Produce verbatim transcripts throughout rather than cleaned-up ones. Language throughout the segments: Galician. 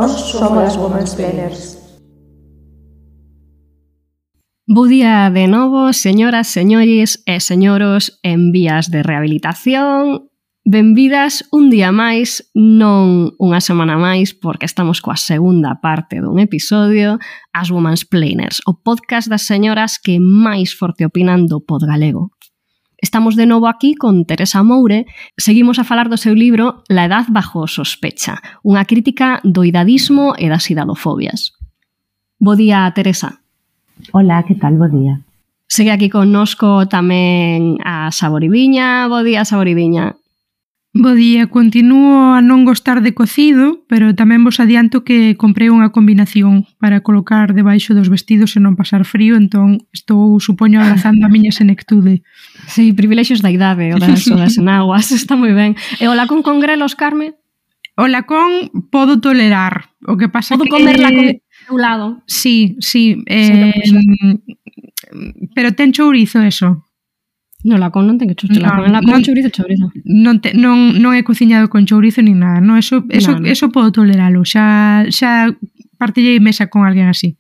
Nós somos as Womansplainers. Bo día de novo, señoras, señores e señoros en vías de rehabilitación. Benvidas un día máis, non unha semana máis, porque estamos coa segunda parte dun episodio, as Womansplainers, o podcast das señoras que máis forte opinan do pod galego. Estamos de novo aquí con Teresa Moure. Seguimos a falar do seu libro La edad bajo sospecha, unha crítica do idadismo e das idadofobias. Bo día, Teresa. Hola, que tal? Bo día. Segue aquí connosco tamén a Saboridiña. Bo día, Saboridiña. Bo día, continuo a non gostar de cocido, pero tamén vos adianto que comprei unha combinación para colocar debaixo dos vestidos e non pasar frío, entón estou, supoño, abrazando a miña senectude. Sí, privilexios da idade, o das, o das enaguas, está moi ben. E o lacón con grelos, Carme? O lacón podo tolerar, o que pasa podo que... Podo comer lacón do lado? Sí, sí, eh, sí pero ten chourizo eso. No, lacón non ten que chourizo, lacón, no, lacón, non, chourizo, chourizo. Non, te, non, non é cociñado con chourizo ni nada, no, eso, eso, no, no. eso podo toleralo, xa, xa partillei mesa con alguén así.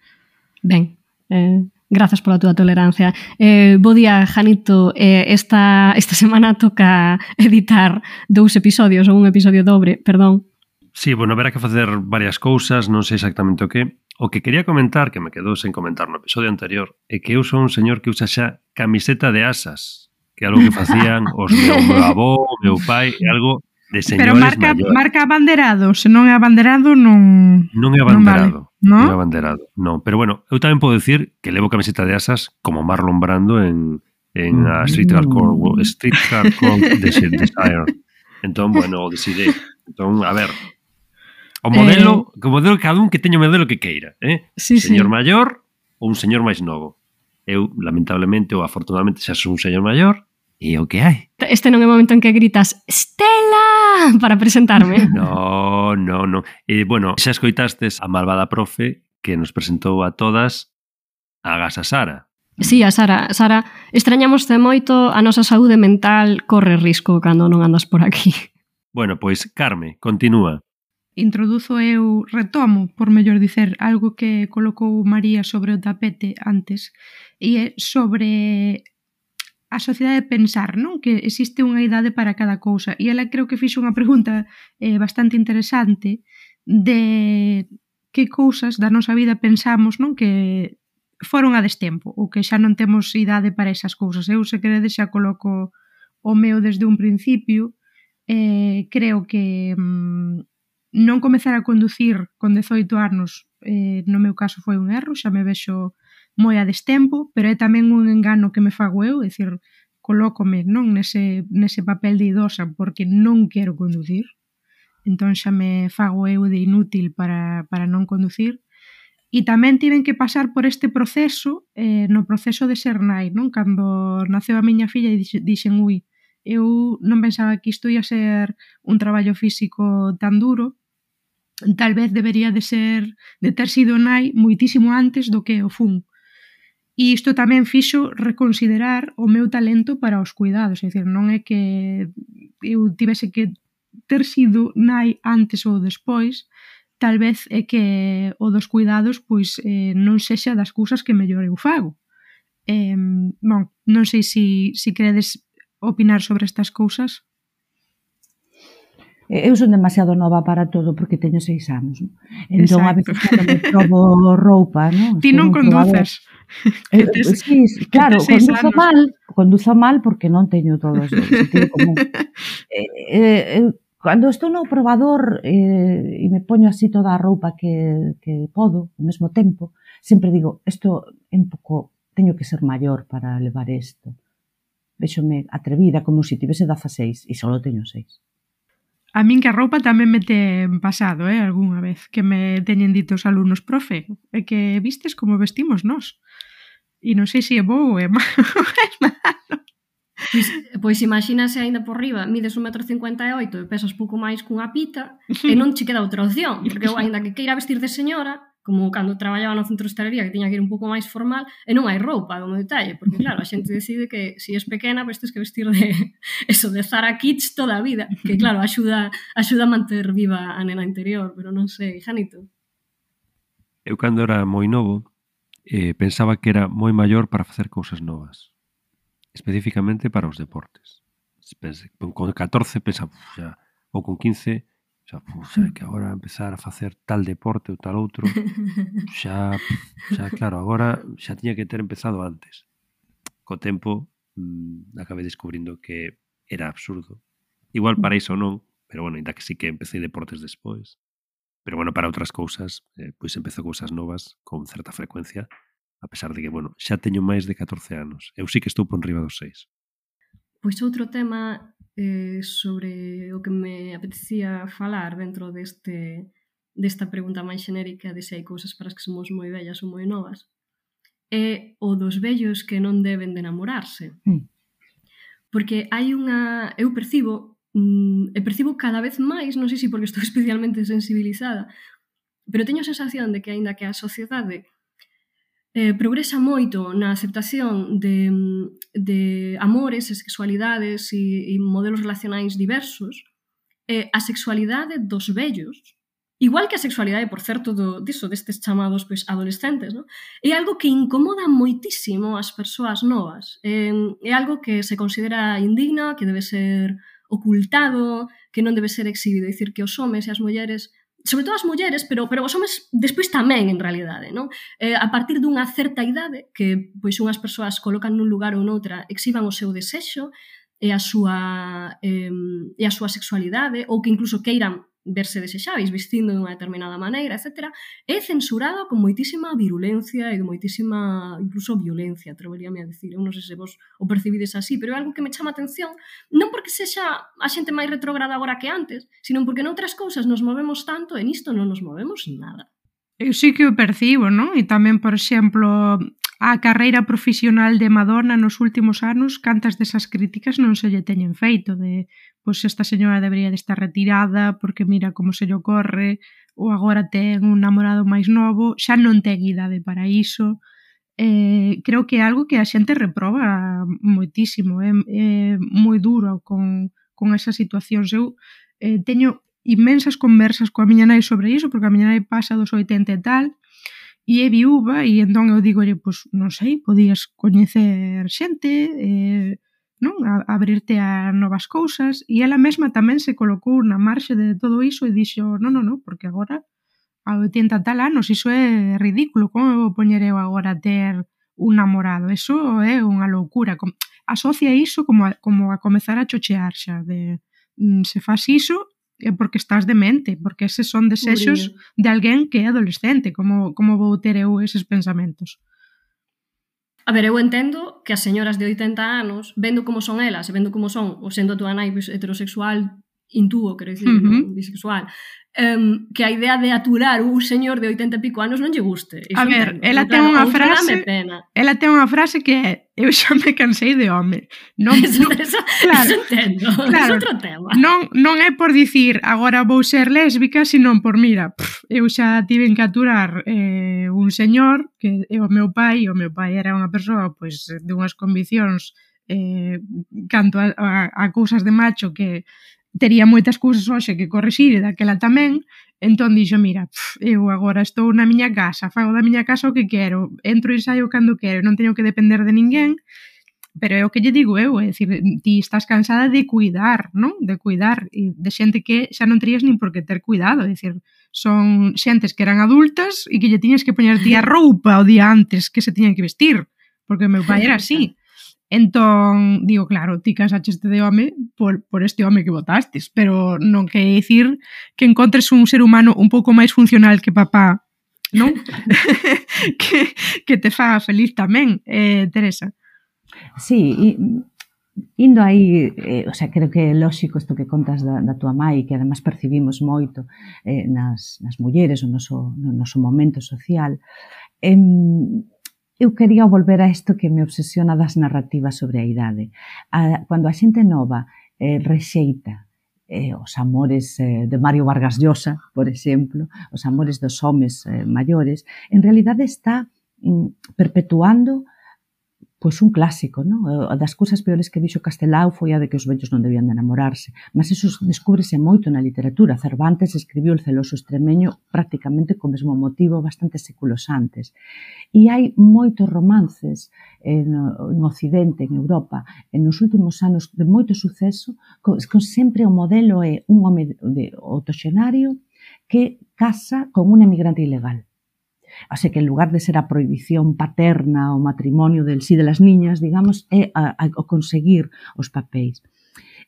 Ben, eh, grazas pola túa tolerancia. Eh, bo día, Janito, eh, esta, esta semana toca editar dous episodios, ou un episodio dobre, perdón. Sí, bueno, haberá que facer varias cousas, non sei exactamente o que. O que quería comentar, que me quedou sen comentar no episodio anterior, é que eu son un señor que usa xa camiseta de asas, que é algo que facían os meu, meu avó, o meu pai, é algo de señores pero marca, maiores. Marca abanderado, se non é abanderado non... Non é abanderado, non, vale, ¿no? non é abanderado, non. Pero bueno, eu tamén podo dicir que levo camiseta de asas como Marlon Brando en, en a Streetcar Code Streetcar Code Desire. Entón, bueno, decidei. Entón, a ver... O modelo, eh, o modelo cada un que teña o modelo que queira, eh? Sí, señor sí. maior ou un señor máis novo. Eu, lamentablemente ou afortunadamente, xa son un señor maior e é o que hai. Este non é o momento en que gritas Estela para presentarme. No, no, no. E, bueno, xa escoitastes a malvada profe que nos presentou a todas a Gasa Sara. Sí, a Sara. Sara, extrañamoste moito, a nosa saúde mental corre risco cando non andas por aquí. Bueno, pois, Carme, continúa. Introduzo eu, retomo, por mellor dicer, algo que colocou María sobre o tapete antes, e é sobre a sociedade de pensar, non? Que existe unha idade para cada cousa, e ela creo que fixo unha pregunta eh, bastante interesante de que cousas da nosa vida pensamos, non? Que foron a destempo, ou que xa non temos idade para esas cousas. Eu, se queredes, xa coloco o meu desde un principio. Eh, creo que... Mm, non comezar a conducir con dezoito anos, eh, no meu caso foi un erro, xa me vexo moi a destempo, pero é tamén un engano que me fago eu, é dicir, colócome non nese, nese papel de idosa porque non quero conducir, entón xa me fago eu de inútil para, para non conducir, e tamén tiven que pasar por este proceso, eh, no proceso de ser nai, non? Cando naceu a miña filla e dixen, ui, eu non pensaba que isto ia ser un traballo físico tan duro, tal vez debería de ser de ter sido nai moitísimo antes do que o fun. E isto tamén fixo reconsiderar o meu talento para os cuidados, é dicir, non é que eu tivese que ter sido nai antes ou despois, tal vez é que o dos cuidados pois eh, non sexa das cousas que mellor eu fago. Eh, bon, non sei se si, si queredes opinar sobre estas cousas. Eu son demasiado nova para todo porque teño seis anos, non? Entón, exacto. A veces cando me probo roupa, non? Ti non conduces. Eh, sí, claro, conduzo anos. mal, conduzo mal porque non teño todo o sentido común. Eh, eh, cando estou no probador eh, e me poño así toda a roupa que, que podo, ao mesmo tempo, sempre digo, isto é un pouco, teño que ser maior para levar isto. Véxome atrevida como se tivese dezaseis e só teño seis. A min que a roupa tamén me ten pasado, eh, algunha vez, que me teñen dito os alumnos, profe, é que vistes como vestimos nós. E non sei se é bo ou é malo. Pois, pois imagínase aínda por riba, mides un metro cincuenta e oito e pesas pouco máis cunha pita e non che queda outra opción, porque eu aínda que queira vestir de señora, como cando traballaba no centro de hostalería, que tiña que ir un pouco máis formal, e non hai roupa, como detalle, porque claro, a xente decide que se si es pequena, pois tens que vestir de eso, de Zara Kids toda a vida, que claro, axuda, axuda a manter viva a nena interior, pero non sei, Janito. Eu cando era moi novo, eh, pensaba que era moi maior para facer cousas novas, especificamente para os deportes. Pense, con catorce pensaba, xa, ou con quince, xa, xa, que agora empezar a facer tal deporte ou tal outro, xa, xa, claro, agora xa tiña que ter empezado antes. Co tempo, mmm, acabei descubrindo que era absurdo. Igual para iso non, pero bueno, ainda que sí que empecé deportes despois. Pero bueno, para outras cousas, eh, pois empezo cousas novas con certa frecuencia, a pesar de que, bueno, xa teño máis de catorce anos. Eu sí que estou por enriba dos seis. Pois outro tema eh, sobre o que me apetecía falar dentro deste, desta pregunta máis xenérica de se hai cousas para as que somos moi vellas ou moi novas é o dos vellos que non deben de namorarse. Mm. Porque hai unha... Eu percibo, mm, e percibo cada vez máis, non sei se porque estou especialmente sensibilizada, pero teño a sensación de que aínda que a sociedade Eh, progresa moito na aceptación de, de amores e sexualidades e, e modelos relacionais diversos, eh, a sexualidade dos vellos, igual que a sexualidade, por certo, do, diso, destes chamados pois, adolescentes, no? É algo que incomoda moitísimo as persoas novas. Eh, é algo que se considera indigna, que debe ser ocultado, que non debe ser exhibido. É dicir, que os homes e as mulleres, sobre todo as mulleres, pero, pero os homes despois tamén, en realidade, non? Eh, a partir dunha certa idade, que pois unhas persoas colocan nun lugar ou noutra, exhiban o seu desexo e a súa, eh, e a súa sexualidade, ou que incluso queiran verse desexáveis, vestindo de unha determinada maneira, etcétera, é censurado con moitísima virulencia e con moitísima, incluso violencia, atreveríame a dicir. Eu non sei se vos o percibides así, pero é algo que me chama a atención, non porque sexa a xente máis retrógrada agora que antes, sino porque noutras cousas nos movemos tanto e nisto non nos movemos nada. Eu sí que o percibo, non? E tamén, por exemplo, a carreira profesional de Madonna nos últimos anos, cantas desas críticas non se lle teñen feito, de, pois, esta señora debería de estar retirada porque mira como se lle ocorre, ou agora ten un namorado máis novo, xa non ten idade para iso. Eh, creo que é algo que a xente reproba moitísimo, é, é moi duro con, con esas situacións. Eu eh, teño inmensas conversas coa miña nai sobre iso, porque a miña nai pasa dos oitenta e tal, e é viúva, e entón eu digo, pois, non sei, podías coñecer xente, eh, non? A, abrirte a novas cousas, e ela mesma tamén se colocou na marxe de todo iso e dixo, non, non, non, porque agora a oitenta tal anos, iso é ridículo, como vou poñer eu agora a ter un namorado? Iso é unha loucura. Asocia iso como a, como a comezar a chochear xa, de se faz iso é porque estás demente, porque eses son desexos de alguén que é adolescente. Como, como vou ter eu eses pensamentos? A ver, eu entendo que as señoras de oitenta anos, vendo como son elas, e vendo como son, ou sendo a túa nai heterosexual, intúo, quero dicir, uh-huh. non, bisexual, um, que a idea de aturar un señor de oitenta e pico anos non lle guste. Iso a ver, entendo. Ela ten claro, unha frase, ela ten unha frase que é, eu xa me cansei de home. Non, eso, non, eso, claro, eso entendo, claro, é outro tema. Non, non é por dicir agora vou ser lésbica, sino por, mira, pff, eu xa tiven que aturar eh, un señor que é o meu pai, e o meu pai era unha persoa pois, de unhas conviccións eh, canto a, a, a cousas de macho que tería moitas cousas hoxe que corrixir e daquela tamén, entón dixo, mira, pff, eu agora estou na miña casa, fago da miña casa o que quero, entro e saio cando quero, non teño que depender de ninguén, pero é o que lle digo eu, é dicir, ti estás cansada de cuidar, non? De cuidar, e de xente que xa non terías nin por que ter cuidado, é dicir, son xentes que eran adultas e que lle tiñas que poñer ti a roupa o día antes que se tiñan que vestir, porque o meu pai era así. Entón, digo, claro, ti casaste de home por, por este home que votastes, pero non quer dicir que encontres un ser humano un pouco máis funcional que papá, non? que, que te faga feliz tamén, eh, Teresa. Sí, e, indo aí, eh, o sea, creo que é lóxico isto que contas da, da tua mãe, que además percibimos moito eh, nas, nas mulleres, o noso, no noso momento social. Eh, Eu quería volver a isto que me obsesiona das narrativas sobre a idade. A, cando a xente nova eh, rexeita eh, os amores eh, de Mario Vargas Llosa, por exemplo, os amores dos homes eh, maiores, en realidade está mm, perpetuando pois un clásico, non? A das cousas peores que dixo Castelao foi a de que os vellos non debían de enamorarse. Mas iso descúbrese moito na literatura. Cervantes escribiu El celoso extremeño prácticamente co mesmo motivo bastantes séculos antes. E hai moitos romances en, en Occidente, en Europa, en nos últimos anos de moito suceso, con, con sempre o modelo é un home de octoxenario que casa con un emigrante ilegal. Así que en lugar de ser a prohibición paterna o matrimonio del sí de las niñas, digamos, é a, a, a conseguir os papéis.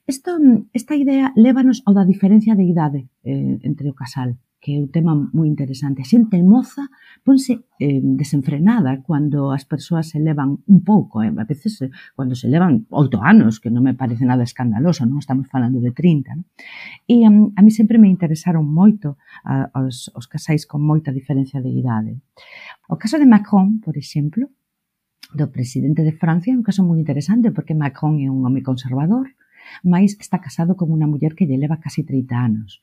Esto, esta idea lévanos ao da diferencia de idade eh, entre o casal, que é un tema moi interesante. A xente moza ponse eh, desenfrenada cando as persoas se levan un pouco, eh, a veces eh, cando se levan oito anos, que non me parece nada escandaloso, non estamos falando de trinta, non? E um, a mí sempre me interesaron moito a, os, os casais con moita diferencia de idade. O caso de Macron, por exemplo, do presidente de Francia, é un caso moi interesante porque Macron é un home conservador, mas está casado con unha muller que lle leva casi trinta anos.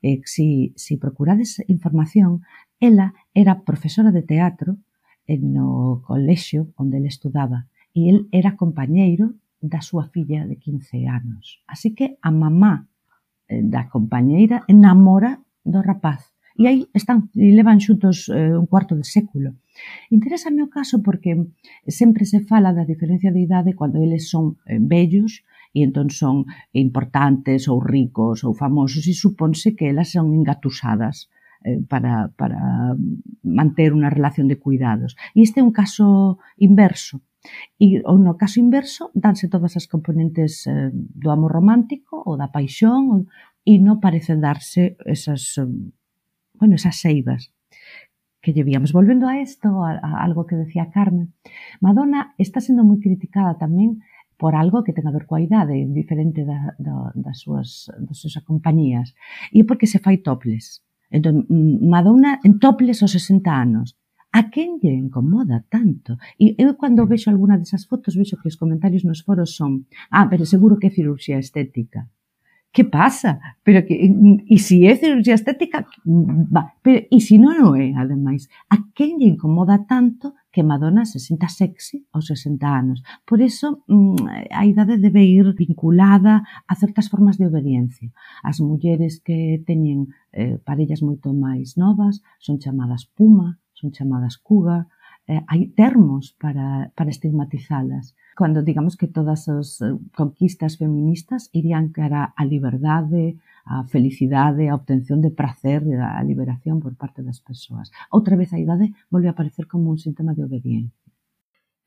Eh, si, si procurades información, ela era profesora de teatro no colexio onde ele estudaba e el era compañeiro da súa filla de quince anos. Así que a mamá da compañeira enamora do rapaz. E aí están, e levan xuntos eh, un cuarto de século. Interésame o caso porque sempre se fala da diferencia de idade cando eles son eh, vellos e entón son importantes ou ricos ou famosos e supónse que elas son engatusadas eh, para, para manter unha relación de cuidados. E este é un caso inverso. E no caso inverso danse todas as componentes eh, do amor romántico ou da paixón e non parecen darse esas, bueno, esas seivas que llevíamos. Volvendo a isto, a, a algo que decía Carmen, Madonna está sendo moi criticada tamén por algo que ten a ver coa idade, diferente da, da, das, súas, das súas compañías. E é porque se fai topless. Entón, Madonna en topless aos sesenta anos. A quen lle incomoda tanto? E eu, cando vexo alguna desas fotos, vexo que os comentarios nos foros son ah, pero seguro que é cirurxía estética. Que pasa? Pero que, e se é cirurxía estética, va, pero, e se non o é, ademais, a quen lle incomoda tanto que Madonna se sinta sexy aos sesenta anos? Por iso, a idade debe ir vinculada a certas formas de obediencia. As mulleres que teñen eh, parellas moito máis novas son chamadas puma, son chamadas cuga, eh, hai termos para, para estigmatizalas. Cando digamos que todas as conquistas feministas irían cara a liberdade, a felicidade, a obtención de prazer, a liberación por parte das persoas. Outra vez a idade volve a aparecer como un síntoma de obediencia.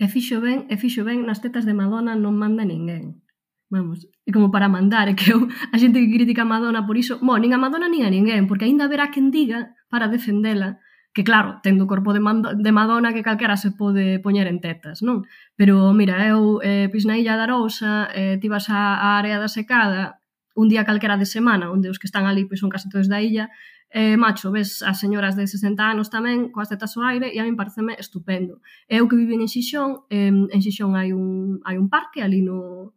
E fixo ben, e fixo ben, nas tetas de Madonna non manda ninguén. Vamos, e como para mandar, é que eu, a xente que critica a Madonna por iso, bon, nin a Madonna nin a ninguén, porque aínda haberá quen diga para defendela que claro, tendo o corpo de, de Madonna que calquera se pode poñer en tetas, non? Pero, mira, eu, eh, pois na Illa da Arousa, eh, ti vas á área da secada, un día calquera de semana, onde os que están ali pois son casi todos da illa, eh, macho, ves as señoras de sesenta anos tamén, coas tetas ao aire, e a mí pareceme estupendo. Eu que vivo en Xixón, eh, en Xixón hai un, hai un parque ali no,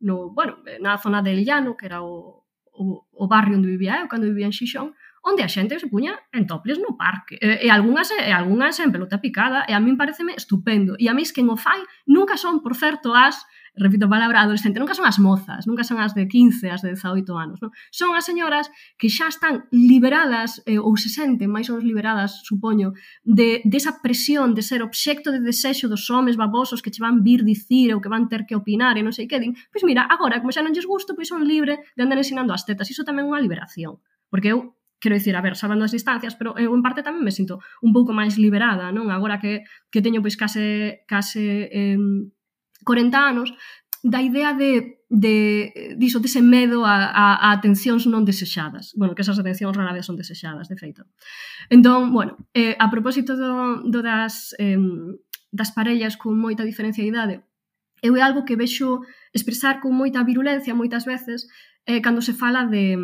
no, bueno, na zona del Llano, que era o, o, o barrio onde vivía eu, cando vivía en Xixón, onde a xente se puña en topless no parque. E, e, algunhas, e algunhas en pelota picada, e a min pareceme estupendo. E a mí es que o fai nunca son, por certo, as, repito a palabra adolescente, nunca son as mozas, nunca son as de quince, as de dezaoito anos. Non? Son as señoras que xa están liberadas, eh, ou se senten máis ou menos liberadas, supoño, de, de esa presión de ser obxecto de desexo dos homes babosos que che van vir dicir ou que van ter que opinar e non sei que din. Pois mira, agora, como xa non lles gusto, pois son libre de andar ensinando as tetas. Iso tamén é unha liberación. Porque eu quero dicir, a ver, sabendo as distancias, pero eu en parte tamén me sinto un pouco máis liberada, non? Agora que, que teño pois case, case eh, corenta anos, da idea de, de diso, dese medo a, a, a atencións non desexadas. Bueno, que esas atencións rara vez son desexadas, de feito. Entón, bueno, eh, a propósito do, do das, eh, das parellas con moita diferencia de idade, eu é algo que vexo expresar con moita virulencia moitas veces eh, cando se fala de,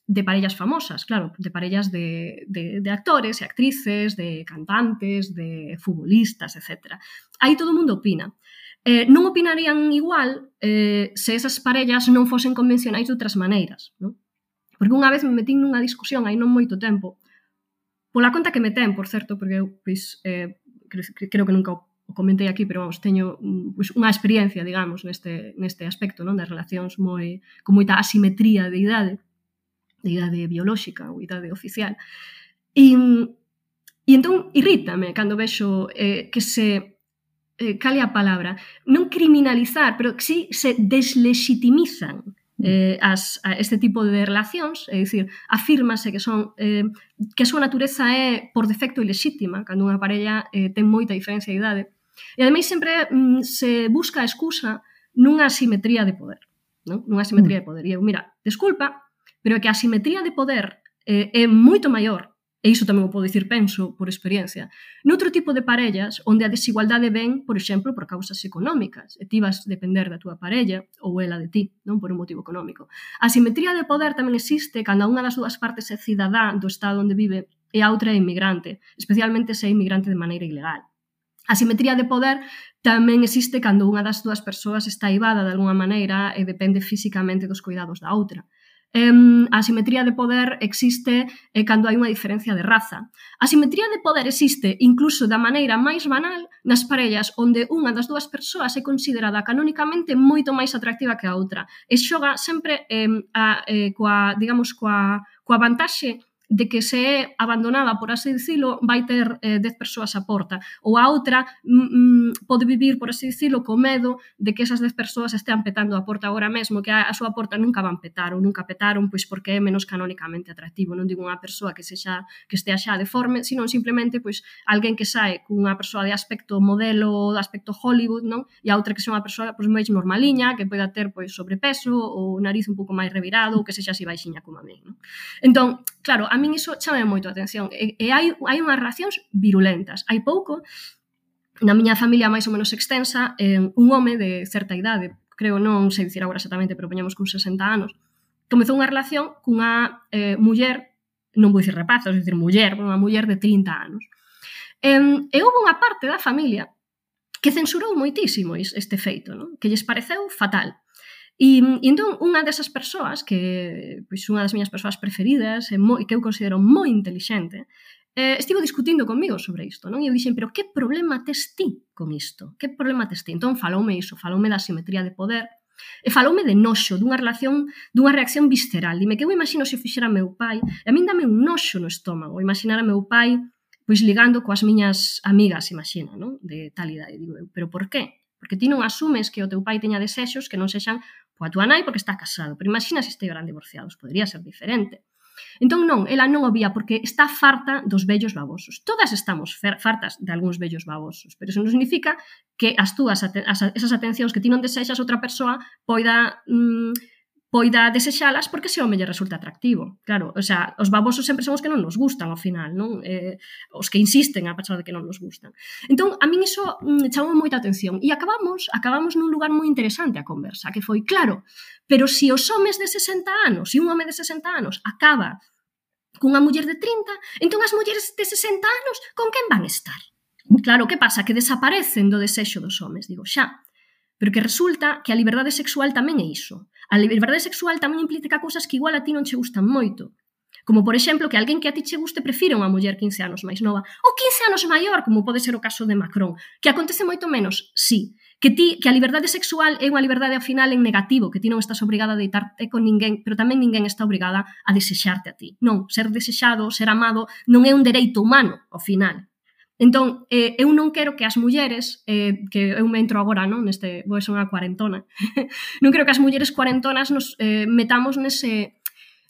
de parellas famosas, claro, de parellas de, de, de actores e actrices, de cantantes, de futbolistas, etcétera. Aí todo o mundo opina. Eh, non opinarían igual eh, se esas parellas non fosen convencionais de outras maneiras, non? Porque unha vez me metín nunha discusión aí non moito tempo, pola conta que me ten, por certo, porque eu, pois, eh, creo que nunca o comentei aquí, pero vamos, teño pois, unha experiencia, digamos, neste, neste aspecto, non, das relacións moi, con moita asimetría de idade, de idade biolóxica ou idade oficial. E, e entón, irrítame cando vexo eh, que se, eh, cale a palabra, non criminalizar, pero que si se deslegitimizan eh, as, a este tipo de relacións, é dicir, afírmase que son eh, que a súa natureza é por defecto ilexítima, cando unha parella eh, ten moita diferencia de idade. E ademais sempre mm, se busca a excusa nunha asimetría de poder, non? Nunha asimetría de poder. E eu, mira, desculpa, pero é que a asimetría de poder eh, é moito maior, e iso tamén o podo dicir, penso, por experiencia, noutro tipo de parellas onde a desigualdade ven, por exemplo, por causas económicas, e ti vas depender da túa parella ou ela de ti, non por un motivo económico. A asimetría de poder tamén existe cando unha das dúas partes é cidadá do estado onde vive e a outra é inmigrante, especialmente se é inmigrante de maneira ilegal. A asimetría de poder tamén existe cando unha das dúas persoas está aivada de alguna maneira e depende físicamente dos cuidados da outra. Um, a asimetría de poder existe eh, cando hai unha diferencia de raza. A asimetría de poder existe incluso da maneira máis banal nas parellas onde unha das dúas persoas é considerada canónicamente moito máis atractiva que a outra e xoga sempre eh, a, eh, coa, digamos, coa, coa vantaxe de que se é abandonada, por así dicilo, vai ter eh, dez persoas a porta. Ou a outra mm, pode vivir, por así dicilo, co medo de que esas dez persoas estean petando a porta agora mesmo, que a, a súa porta nunca van petar, ou nunca petaron, pois porque é menos canónicamente atractivo. Non digo unha persoa que sexa que estea xa deforme, sino simplemente pois alguén que sae cunha persoa de aspecto modelo, de aspecto Hollywood, non? E a outra que sexa unha persoa pois máis normaliña, que poida ter pois sobrepeso, ou nariz un pouco máis revirado, ou que sexa así baixiña como a mí, non? Entón, claro, a min iso chama moito a atención. E, e hai, hai unhas reaccións virulentas. Hai pouco, na miña familia máis ou menos extensa, eh, un home de certa idade, creo, non sei dicir agora exactamente, pero poñamos con sesenta anos, comezou unha relación cunha eh, muller, non vou dicir rapaza, vou dicir muller, unha muller de trinta anos. E, e houve unha parte da familia que censurou moitísimo este feito, non? Que lles pareceu fatal. E, e entón, unha desas persoas, que pois, unha das miñas persoas preferidas, e moi, que eu considero moi intelixente, eh, estivo discutindo comigo sobre isto, non? E eu dixen, pero que problema tes ti con isto? Que problema tes ti? Entón, faloume iso, faloume da asimetría de poder, e faloume de noxo, dunha relación, dunha reacción visceral. Dime que eu imagino se o fixera meu pai, e a min dame un noxo no estómago, imaginar a meu pai pois ligando coas miñas amigas, imagina, non? De tal idade, digo eu, pero por qué? Porque ti non asumes que o teu pai teña desexos que non sexan coa tua nai porque está casado, pero imagina se estiveran divorciados, podría ser diferente. Entón non, ela non o vía porque está farta dos vellos babosos. Todas estamos fartas de algúns vellos babosos, pero eso non significa que as túas, as, esas atencións que ti non desexas outra persoa poida... Mmm, poida desexalas porque ese home lle resulta atractivo. Claro, o sea, os babosos sempre son os que non nos gustan ao final, non? Eh, os que insisten a pesar de que non nos gustan. Entón, a min iso mm, chamou moita atención e acabamos, acabamos nun lugar moi interesante a conversa, que foi, claro, pero se os homes de sesenta anos e un home de sesenta anos acaba cunha muller de trinta, entón as mulleres de sesenta anos con quen van estar? Claro, que pasa? Que desaparecen do desexo dos homes, digo, xa. Pero que resulta que a liberdade sexual tamén é iso. A liberdade sexual tamén implica cousas que igual a ti non che gustan moito. Como, por exemplo, que alguén que a ti che guste prefira unha muller quince anos máis nova ou quince anos maior, como pode ser o caso de Macron. Que acontece moito menos, sí. Que, ti, que a liberdade sexual é unha liberdade ao final en negativo, que ti non estás obrigada a deitarte con ninguén, pero tamén ninguén está obrigada a desexarte a ti. Non, ser desexado, ser amado, non é un dereito humano, ao final. Entón, eh, eu non quero que as mulleres, eh, que eu me entro agora, non, neste, vou ser unha cuarentona, non quero que as mulleres cuarentonas nos eh, metamos nese,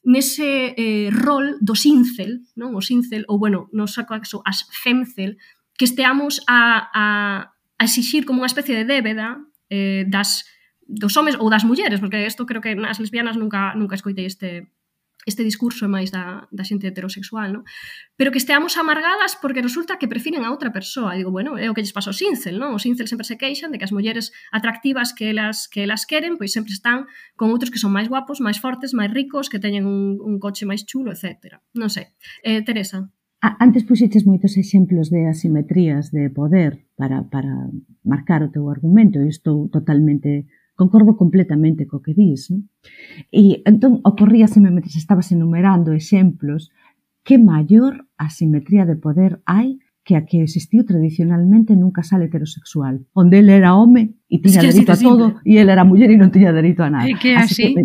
nese eh, rol do cincel, non, o cincel, ou, bueno, no saco acaso, as femcel, que esteamos a, a, a exixir como unha especie de débeda eh, das, dos homes ou das mulleres, porque isto creo que as lesbianas nunca, nunca escoitei este... este discurso máis da, da xente heterosexual, non? Pero que esteamos amargadas porque resulta que prefiren a outra persoa. E digo, bueno, é o que lles pasa ao cincel, non? Os cincel sempre se queixan de que as mulleres atractivas que elas, que elas queren, pois sempre están con outros que son máis guapos, máis fortes, máis ricos, que teñen un, un coche máis chulo, etcétera. Non sei. Eh, Teresa? Antes puxeches moitos exemplos de asimetrías de poder para, para marcar o teu argumento e estou totalmente concordo completamente co que dis, non? E entón ocorríaseme, mentre estabas enumerando exemplos, que maior asimetría de poder hai que a que existiu tradicionalmente nun casal heterosexual, onde ele era home e tiña es que dereito a todo e ele era muller e non tiña dereito a nada. É que así, así que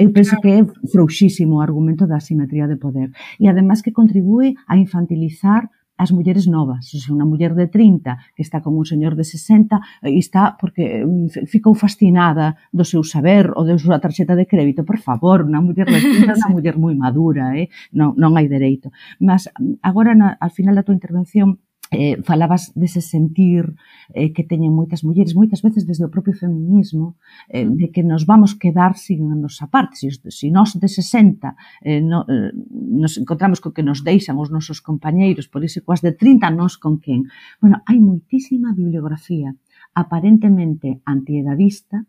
eu penso claro. que é frouxísimo o argumento da asimetría de poder. E además que contribúe a infantilizar as mulleres novas. O sea, unha muller de trinta que está con un señor de sesenta e está porque ficou fascinada do seu saber ou da súa tarxeta de crédito. Por favor, unha muller de trinta é unha muller moi madura, eh? non, non hai dereito. Mas agora, na, al final da tua intervención, eh, falabas dese sentir eh, que teñen moitas mulleres, moitas veces desde o propio feminismo, eh, de que nos vamos quedar sin a nosa parte. Se si, si nós de sesenta eh, no, eh, nos encontramos co que nos deixan os nosos compañeiros, por iso coas de trinta, nós con quen? Bueno, hai moitísima bibliografía aparentemente antiedadista,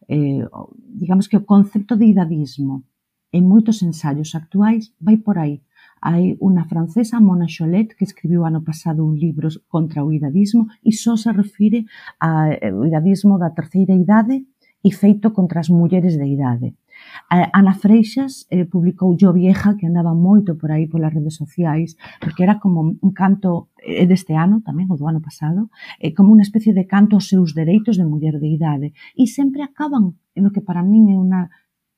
eh, digamos que o concepto de idadismo en moitos ensaios actuais vai por aí. Hai unha francesa, Mona Chollet, que escribiu ano pasado un libro contra o idadismo e só se refire ao idadismo da terceira idade e feito contra as mulleres de idade. Ana Freixas eh, publicou Yo Vieja, que andaba moito por aí polas redes sociais, porque era como un canto eh, deste ano, tamén, o do ano pasado, eh, como unha especie de canto aos seus dereitos de muller de idade. E sempre acaban en o que para min é unha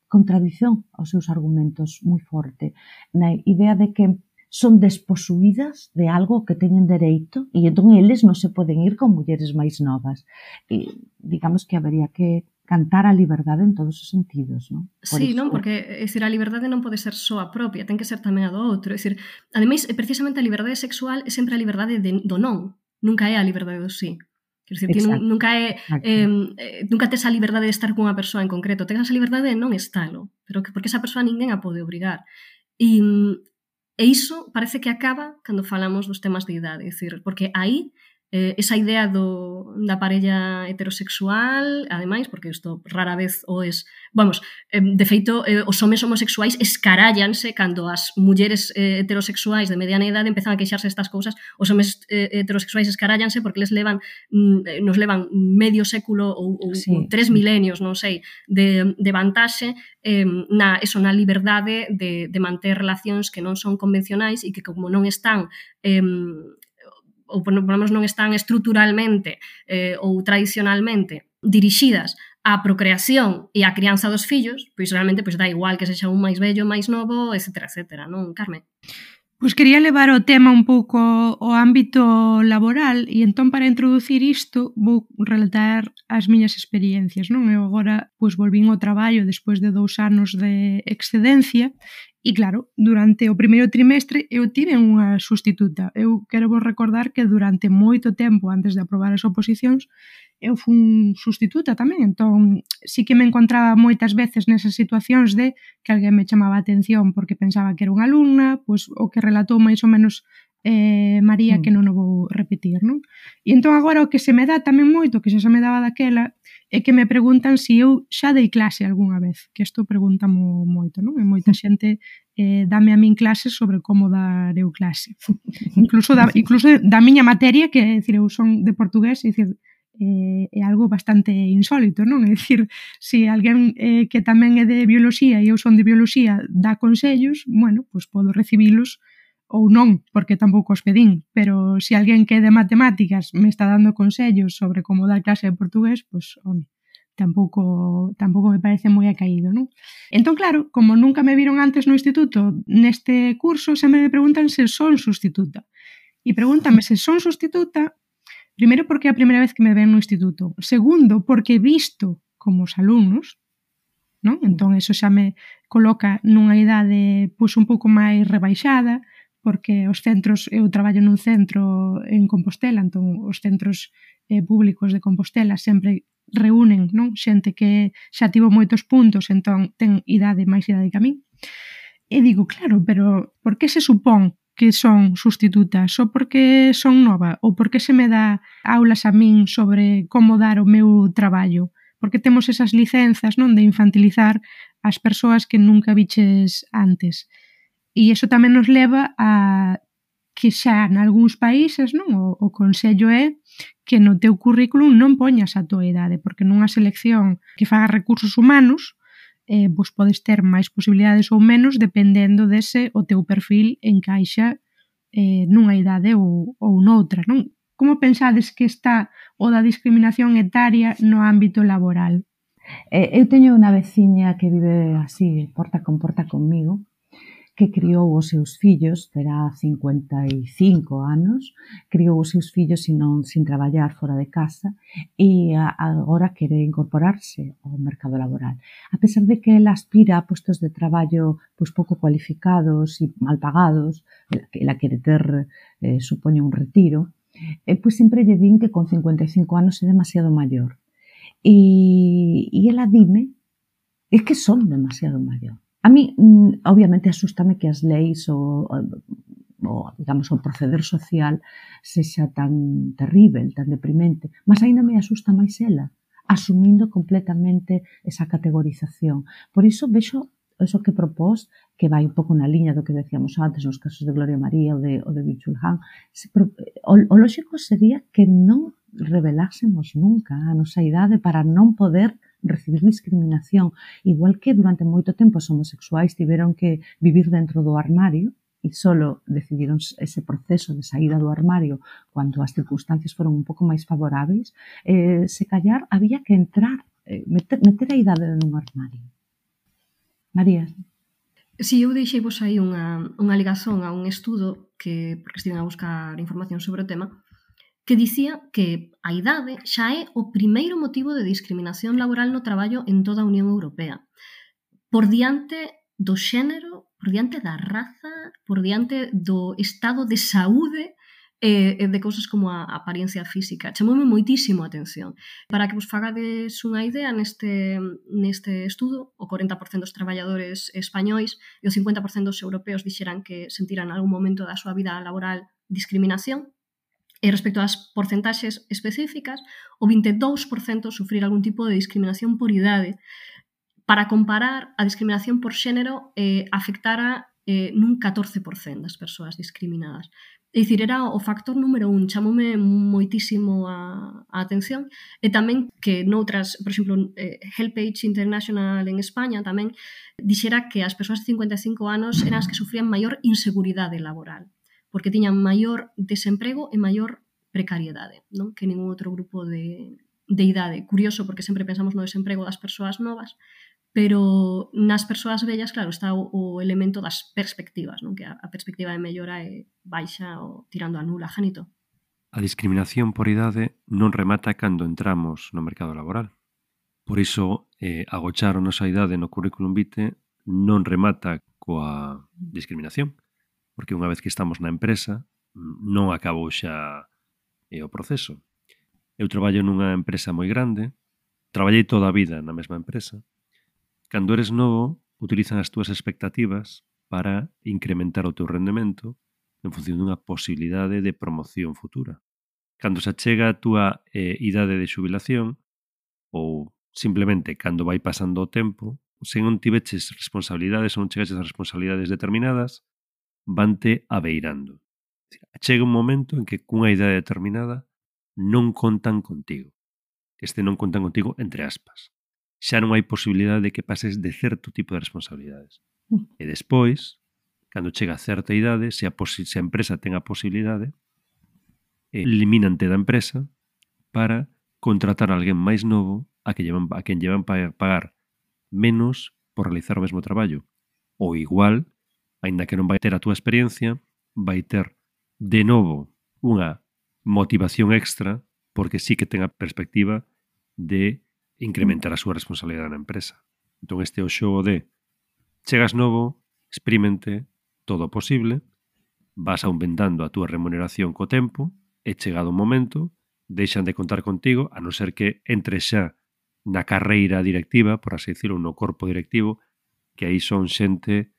contradición aos seus argumentos moi forte, na idea de que son desposuídas de algo que teñen dereito e entón eles non se poden ir con mulleres máis novas. E digamos que habería que cantar a liberdade en todos os sentidos, non? Por sí, iso... non, porque é dicir, a liberdade non pode ser só a propia, ten que ser tamén a do outro. É dicir, ademais, precisamente a liberdade sexual é sempre a liberdade de, do non, nunca é a liberdade do sí. Quer dizer, que nunca é eh, nunca tes a liberdade de estar cunha persoa en concreto, tes a liberdade de non estalo, pero que porque esa persoa ninguén a pode obrigar. E, e iso parece que acaba cando falamos dos temas de idade, é dicir, porque aí eh, esa idea do, da parella heterosexual, ademais, porque isto rara vez o es, vamos, eh, de feito, eh, os homes homosexuais escarállanse cando as mulleres eh, heterosexuais de mediana idade empezan a queixarse estas cousas, os homes eh, heterosexuais escarállanse porque les levan, mm, nos levan medio século ou, ou, sí, ou tres sí. milenios, non sei, de, de vantaxe eh, na, eso, na liberdade de, de manter relacións que non son convencionais e que como non están eh, ou por lo menos non están estruturalmente eh, ou tradicionalmente dirixidas á procreación e á crianza dos fillos, pois realmente pois dá igual que sexa un máis vello, máis novo, etcétera, etcétera, non, Carmen? Pois quería levar o tema un pouco ao ámbito laboral e entón para introducir isto vou relatar as miñas experiencias, non? Eu agora pois volvín ao traballo despois de dous anos de excedencia e claro, durante o primeiro trimestre eu tive unha sustituta. Eu quero vos recordar que durante moito tempo antes de aprobar as oposicións eu fun sustituta tamén, entón sí que me encontraba moitas veces nesas situacións de que alguén me chamaba a atención porque pensaba que era unha alumna, pois o que relatou máis ou menos eh, María, mm. que non o vou repetir, non? E entón agora o que se me dá tamén moito, que xa se me daba daquela, é que me preguntan se si eu xa dei clase algunha vez, que isto pregúntamo moito, non? E moita xente eh, dame a min clases sobre como dar eu clase. incluso, da, incluso da miña materia, que é dicir, eu son de portugués, é dicir, eh, é algo bastante insólito, non? É dicir, se alguén eh, que tamén é de bioloxía e eu son de bioloxía dá consellos, bueno, pois podo recibilos ou non, porque tampouco os pedín, pero se alguén que é de matemáticas me está dando consellos sobre como dar clase de portugués, pois, home, tampouco, tampouco me parece moi acaído, non? Entón, claro, como nunca me viron antes no instituto, neste curso sempre me preguntan se son sustituta. E pregúntame se son sustituta. Primeiro, porque é a primeira vez que me ven no instituto. Segundo, porque he visto como os alumnos, non? Entón, eso xa me coloca nunha idade pois, un pouco máis rebaixada, porque os centros, eu traballo nun centro en Compostela, entón os centros eh, públicos de Compostela sempre reúnen, non? Xente que xa tivo moitos puntos, entón ten idade máis idade que a min. E digo, claro, pero por que se supón que son sustitutas, ou porque son nova, ou porque se me dá aulas a min sobre como dar o meu traballo, porque temos esas licenzas, non, de infantilizar as persoas que nunca viches antes. E iso tamén nos leva a que xa en algúns países, non, o, o consello é que no teu currículum non poñas a tua idade, porque nunha selección que faga recursos humanos, eh, vos podes ter máis posibilidades ou menos dependendo dese o teu perfil encaixa eh, nunha idade ou, ou noutra, non? Como pensades que está o da discriminación etaria no ámbito laboral? Eh, eu teño unha veciña que vive así, porta con porta conmigo, que criou os seus fillos, terá cincuenta e cinco anos, criou os seus fillos sin, non, sin traballar fora de casa e a, agora quere incorporarse ao mercado laboral. A pesar de que ela aspira a postos de traballo pois, pouco cualificados e mal pagados, que ela quere ter, eh, supoño, un retiro, eh, pois sempre lle din que con cincuenta e cinco anos é demasiado maior. E, e ela dime, é que son demasiado maior. A mí, obviamente, asústame que as leis ou, ou digamos, o proceder social sexa tan terrible, tan deprimente, mas ainda me asusta máis ela, asumindo completamente esa categorización. Por iso vexo eso que propós, que vai un pouco na liña do que decíamos antes nos casos de Gloria María ou de, ou de Byung-Chul Han. O, o lógico sería que non revelásemos nunca a nosa idade para non poder recibir discriminación, igual que durante moito tempo os homosexuais tiveron que vivir dentro do armario e solo decidiron ese proceso de saída do armario cando as circunstancias foron un pouco máis favoráveis, eh, se callar había que entrar, eh, meter, meter a idade nun armario. María? Si, eu deixei vos aí unha, unha ligazón a un estudo que, porque estiven a buscar información sobre o tema, que dicía que a idade xa é o primeiro motivo de discriminación laboral no traballo en toda a Unión Europea. Por diante do xénero, por diante da raza, por diante do estado de saúde e de cousas como a apariencia física. Chamoume moitísimo a atención. Para que vos fagades unha idea, neste, neste estudo, o corenta por cento dos traballadores españois e o cincuenta por cento dos europeos dixeran que sentiran en algún momento da súa vida laboral discriminación. E respecto ás porcentaxes específicas, o vinte e dous por cento sufrir algún tipo de discriminación por idade. Para comparar, a discriminación por xénero eh, afectara eh, nun catorce por cento das persoas discriminadas. É dicir, era o factor número un, chamoume moitísimo a, a atención, e tamén que noutras, por exemplo, eh, Helpage International en España tamén dixera que as persoas de cincuenta e cinco anos eran as que sufrían maior inseguridade laboral, porque tiñan maior desemprego e maior precariedade, non? Que ningún outro grupo de, de idade. Curioso, porque sempre pensamos no desemprego das persoas novas, pero nas persoas vellas, claro, está o, o elemento das perspectivas, non? Que a, a perspectiva de mellora é baixa ou tirando a nula. Janito? A discriminación por idade non remata cando entramos no mercado laboral. Por iso, eh, agochar a nosa idade no currículum vitae non remata coa discriminación, porque unha vez que estamos na empresa, non acabou xa eh, o proceso. Eu traballo nunha empresa moi grande, traballei toda a vida na mesma empresa. Cando eres novo, utilizan as túas expectativas para incrementar o teu rendemento en función dunha posibilidade de promoción futura. Cando se achega a túa eh, idade de xubilación, ou simplemente cando vai pasando o tempo, se non tiveches responsabilidades ou non chegaches a responsabilidades determinadas, vante abeirando. Chega un momento en que cunha idea determinada non contan contigo. Este non contan contigo entre aspas. Xa non hai posibilidade de que pases de certo tipo de responsabilidades. E despois, cando chega a certa idade, se a, se a empresa ten a posibilidade, eliminante da empresa para contratar a alguén máis novo a, que llevan, a quen llevan pagar menos por realizar o mesmo traballo. Ou igual, aínda que non vai ter a túa experiencia, vai ter de novo unha motivación extra porque sí que ten a perspectiva de incrementar a súa responsabilidade na empresa. Entón este é o xogo de chegas novo, experimente todo o posible, vas aumentando a túa remuneración co tempo e chegado un momento deixan de contar contigo a non ser que entres xa na carreira directiva, por así decirlo, no corpo directivo, que aí son xente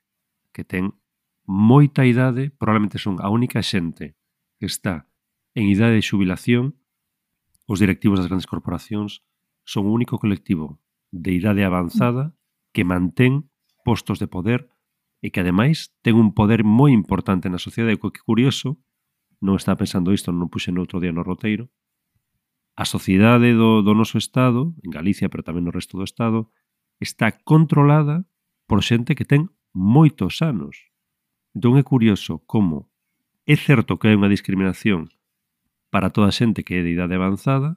que ten moita idade, probablemente son a única xente que está en idade de xubilación. Os directivos das grandes corporacións son o único colectivo de idade avanzada que mantén postos de poder e que, ademais, ten un poder moi importante na sociedade. O que curioso, non estaba pensando isto, non puxe no outro día no roteiro, a sociedade do, do noso Estado, en Galicia, pero tamén no resto do Estado, está controlada por xente que ten moitos anos. Entón é curioso como é certo que hai unha discriminación para toda a xente que é de idade avanzada,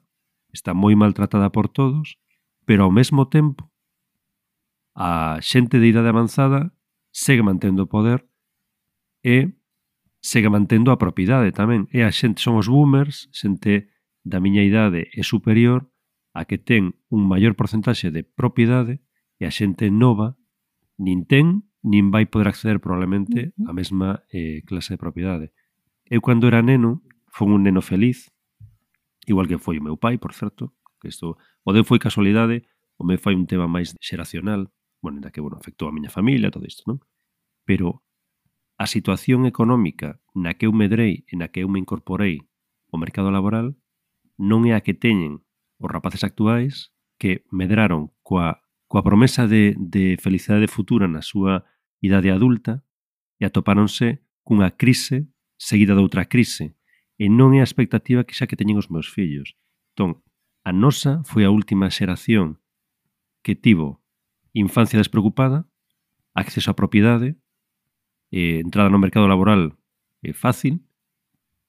está moi maltratada por todos, pero ao mesmo tempo a xente de idade avanzada segue mantendo o poder e segue mantendo a propiedade tamén. E a xente, son os boomers, xente da miña idade é superior a que ten un maior porcentaxe de propiedade e a xente nova nin ten, nin vai poder acceder probablemente á mesma eh, clase de propiedade. Eu, cando era neno, fui un neno feliz, igual que foi o meu pai, por certo, que isto, o deu foi casualidade, o meu foi un tema máis xeracional, bueno, ainda que, bueno, afectou a miña familia, todo isto, non? Pero a situación económica na que eu medrei e na que eu me incorporei ao mercado laboral non é a que teñen os rapaces actuais que medraron coa, coa promesa de, de felicidade futura na súa idade adulta e atopáronse cunha crise seguida de outra crise, e non é a expectativa que xa que teñen os meus fillos. Entón, a nosa foi a última xeración que tivo infancia despreocupada, acceso á propiedade, eh, entrada no mercado laboral é fácil,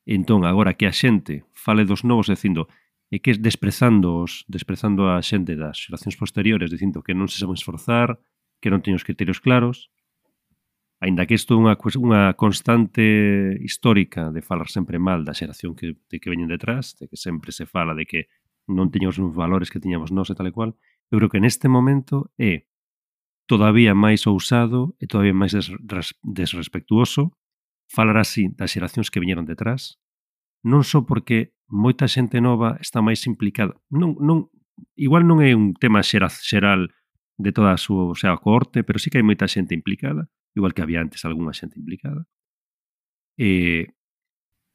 e entón, agora que a xente fale dos novos dicindo, e que desprezando, os, desprezando a xente das xeracións posteriores, dicindo que non se saben esforzar, que non teñen os criterios claros, aínda que isto é unha, unha constante histórica de falar sempre mal da xeración que, de que veñen detrás, de que sempre se fala de que non teñamos os valores que tiñamos nós e tal e cual, eu creo que neste momento é todavía máis ousado e todavía máis desres, desrespectuoso falar así das xeracións que viñeron detrás, non só porque moita xente nova está máis implicada, non, non, igual non é un tema xeral de toda a súa, o sea, a cohorte, pero sí que hai moita xente implicada, igual que había antes algunha xente implicada. E,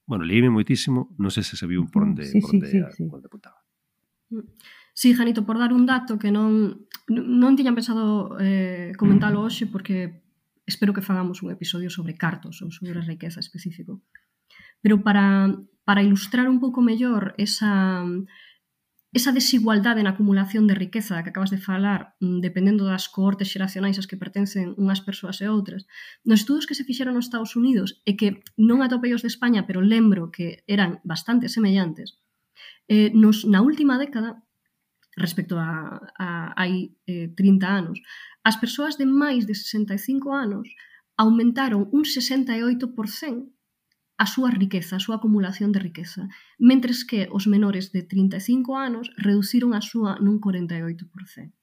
bueno, leíme moitísimo, non sei se se viu por onde, sí, por onde, sí, a, sí, sí. onde apuntaba. Sí, Janito, por dar un dato que non non tiñan pensado eh, comentalo hoxe, porque espero que fagamos un episodio sobre cartos ou sobre riqueza específico. Pero para, para ilustrar un pouco mellor esa... esa desigualdade na acumulación de riqueza que acabas de falar, dependendo das cohortes xeracionais as que pertencen unhas persoas e outras, nos estudos que se fixeron nos Estados Unidos, e que non atopei os de España, pero lembro que eran bastante semellantes, eh, nos, na última década, respecto a, a hai eh, trinta anos, as persoas de máis de sesenta e cinco anos aumentaron un sesenta e oito por cento a súa riqueza, a súa acumulación de riqueza, mentres que os menores de trinta e cinco anos reduciron a súa nun corenta e oito por cento.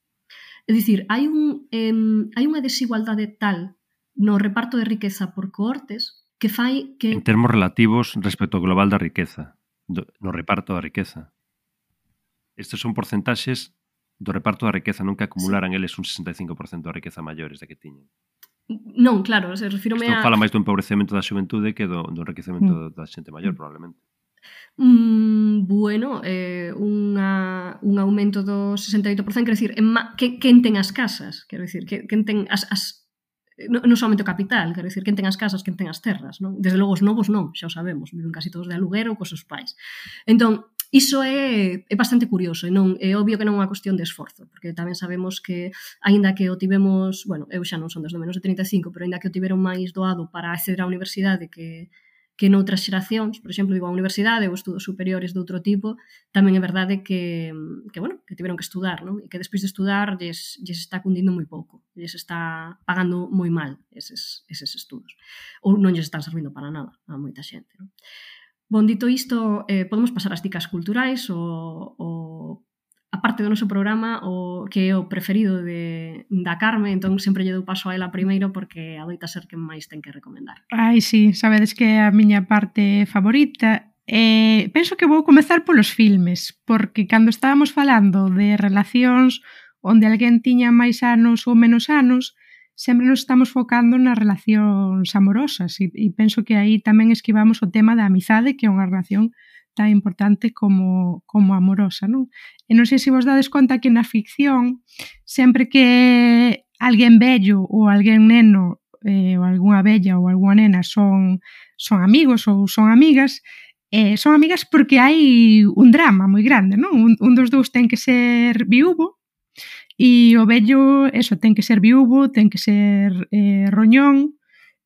É dicir, hai, un, eh, hai unha desigualdade tal no reparto de riqueza por cohortes que fai que... En termos relativos respecto ao global da riqueza, do, no reparto da riqueza. Estes son porcentaxes do reparto da riqueza, non que acumularan sí. eles un sesenta e cinco por cento da riqueza maiores da que tiñen. Non, claro, se refírome Isto a... fala máis do empobrecemento da xuventude que do, do enriquecemento mm. da xente maior, probablemente. Mm, bueno, eh, unha, un aumento do sesenta e oito por cento, quero dicir, en ma, que, quen ten as casas, quero dicir, que, quen ten as... as non no somente o capital, quero dicir, quen ten as casas, quen ten as terras, non? Desde logo os novos non, xa o sabemos, viven casi todos de aluguer ou cos seus pais. Entón, iso é, é bastante curioso, e non é obvio que non é unha cuestión de esforzo, porque tamén sabemos que, aínda que o tivemos, bueno, eu xa non son desde menos de trinta e cinco, pero aínda que o tiveron máis doado para acceder á universidade que, que noutras xeracións, por exemplo, digo, a universidade ou estudos superiores de outro tipo, tamén é verdade que, que bueno, que tiveron que estudar, non? E que despois de estudar lles, lles está cundindo moi pouco, lles está pagando moi mal eses, eses estudos, ou non lles están servindo para nada a moita xente, non? Bon, dito isto, eh, podemos pasar ás dicas culturais, o, o, a parte do noso programa, o que é o preferido de, da Carme, entón sempre lle dou paso a ela primeiro porque adoita ser quen máis ten que recomendar. Ai, sí, sabedes que é a miña parte favorita. Eh, penso que vou comezar polos filmes, porque cando estábamos falando de relacións onde alguén tiña máis anos ou menos anos, sempre nos estamos focando nas relacións amorosas e, e penso que aí tamén esquivamos o tema da amizade, que é unha relación tan importante como, como amorosa, non? E non sei se vos dades conta que na ficción sempre que alguén vello ou alguén neno eh, ou algunha vella ou algunha nena son, son amigos ou son amigas, Eh, son amigas porque hai un drama moi grande, non? Un, un dos dous ten que ser viúvo e o vello, eso, ten que ser viúvo, ten que ser eh, roñón,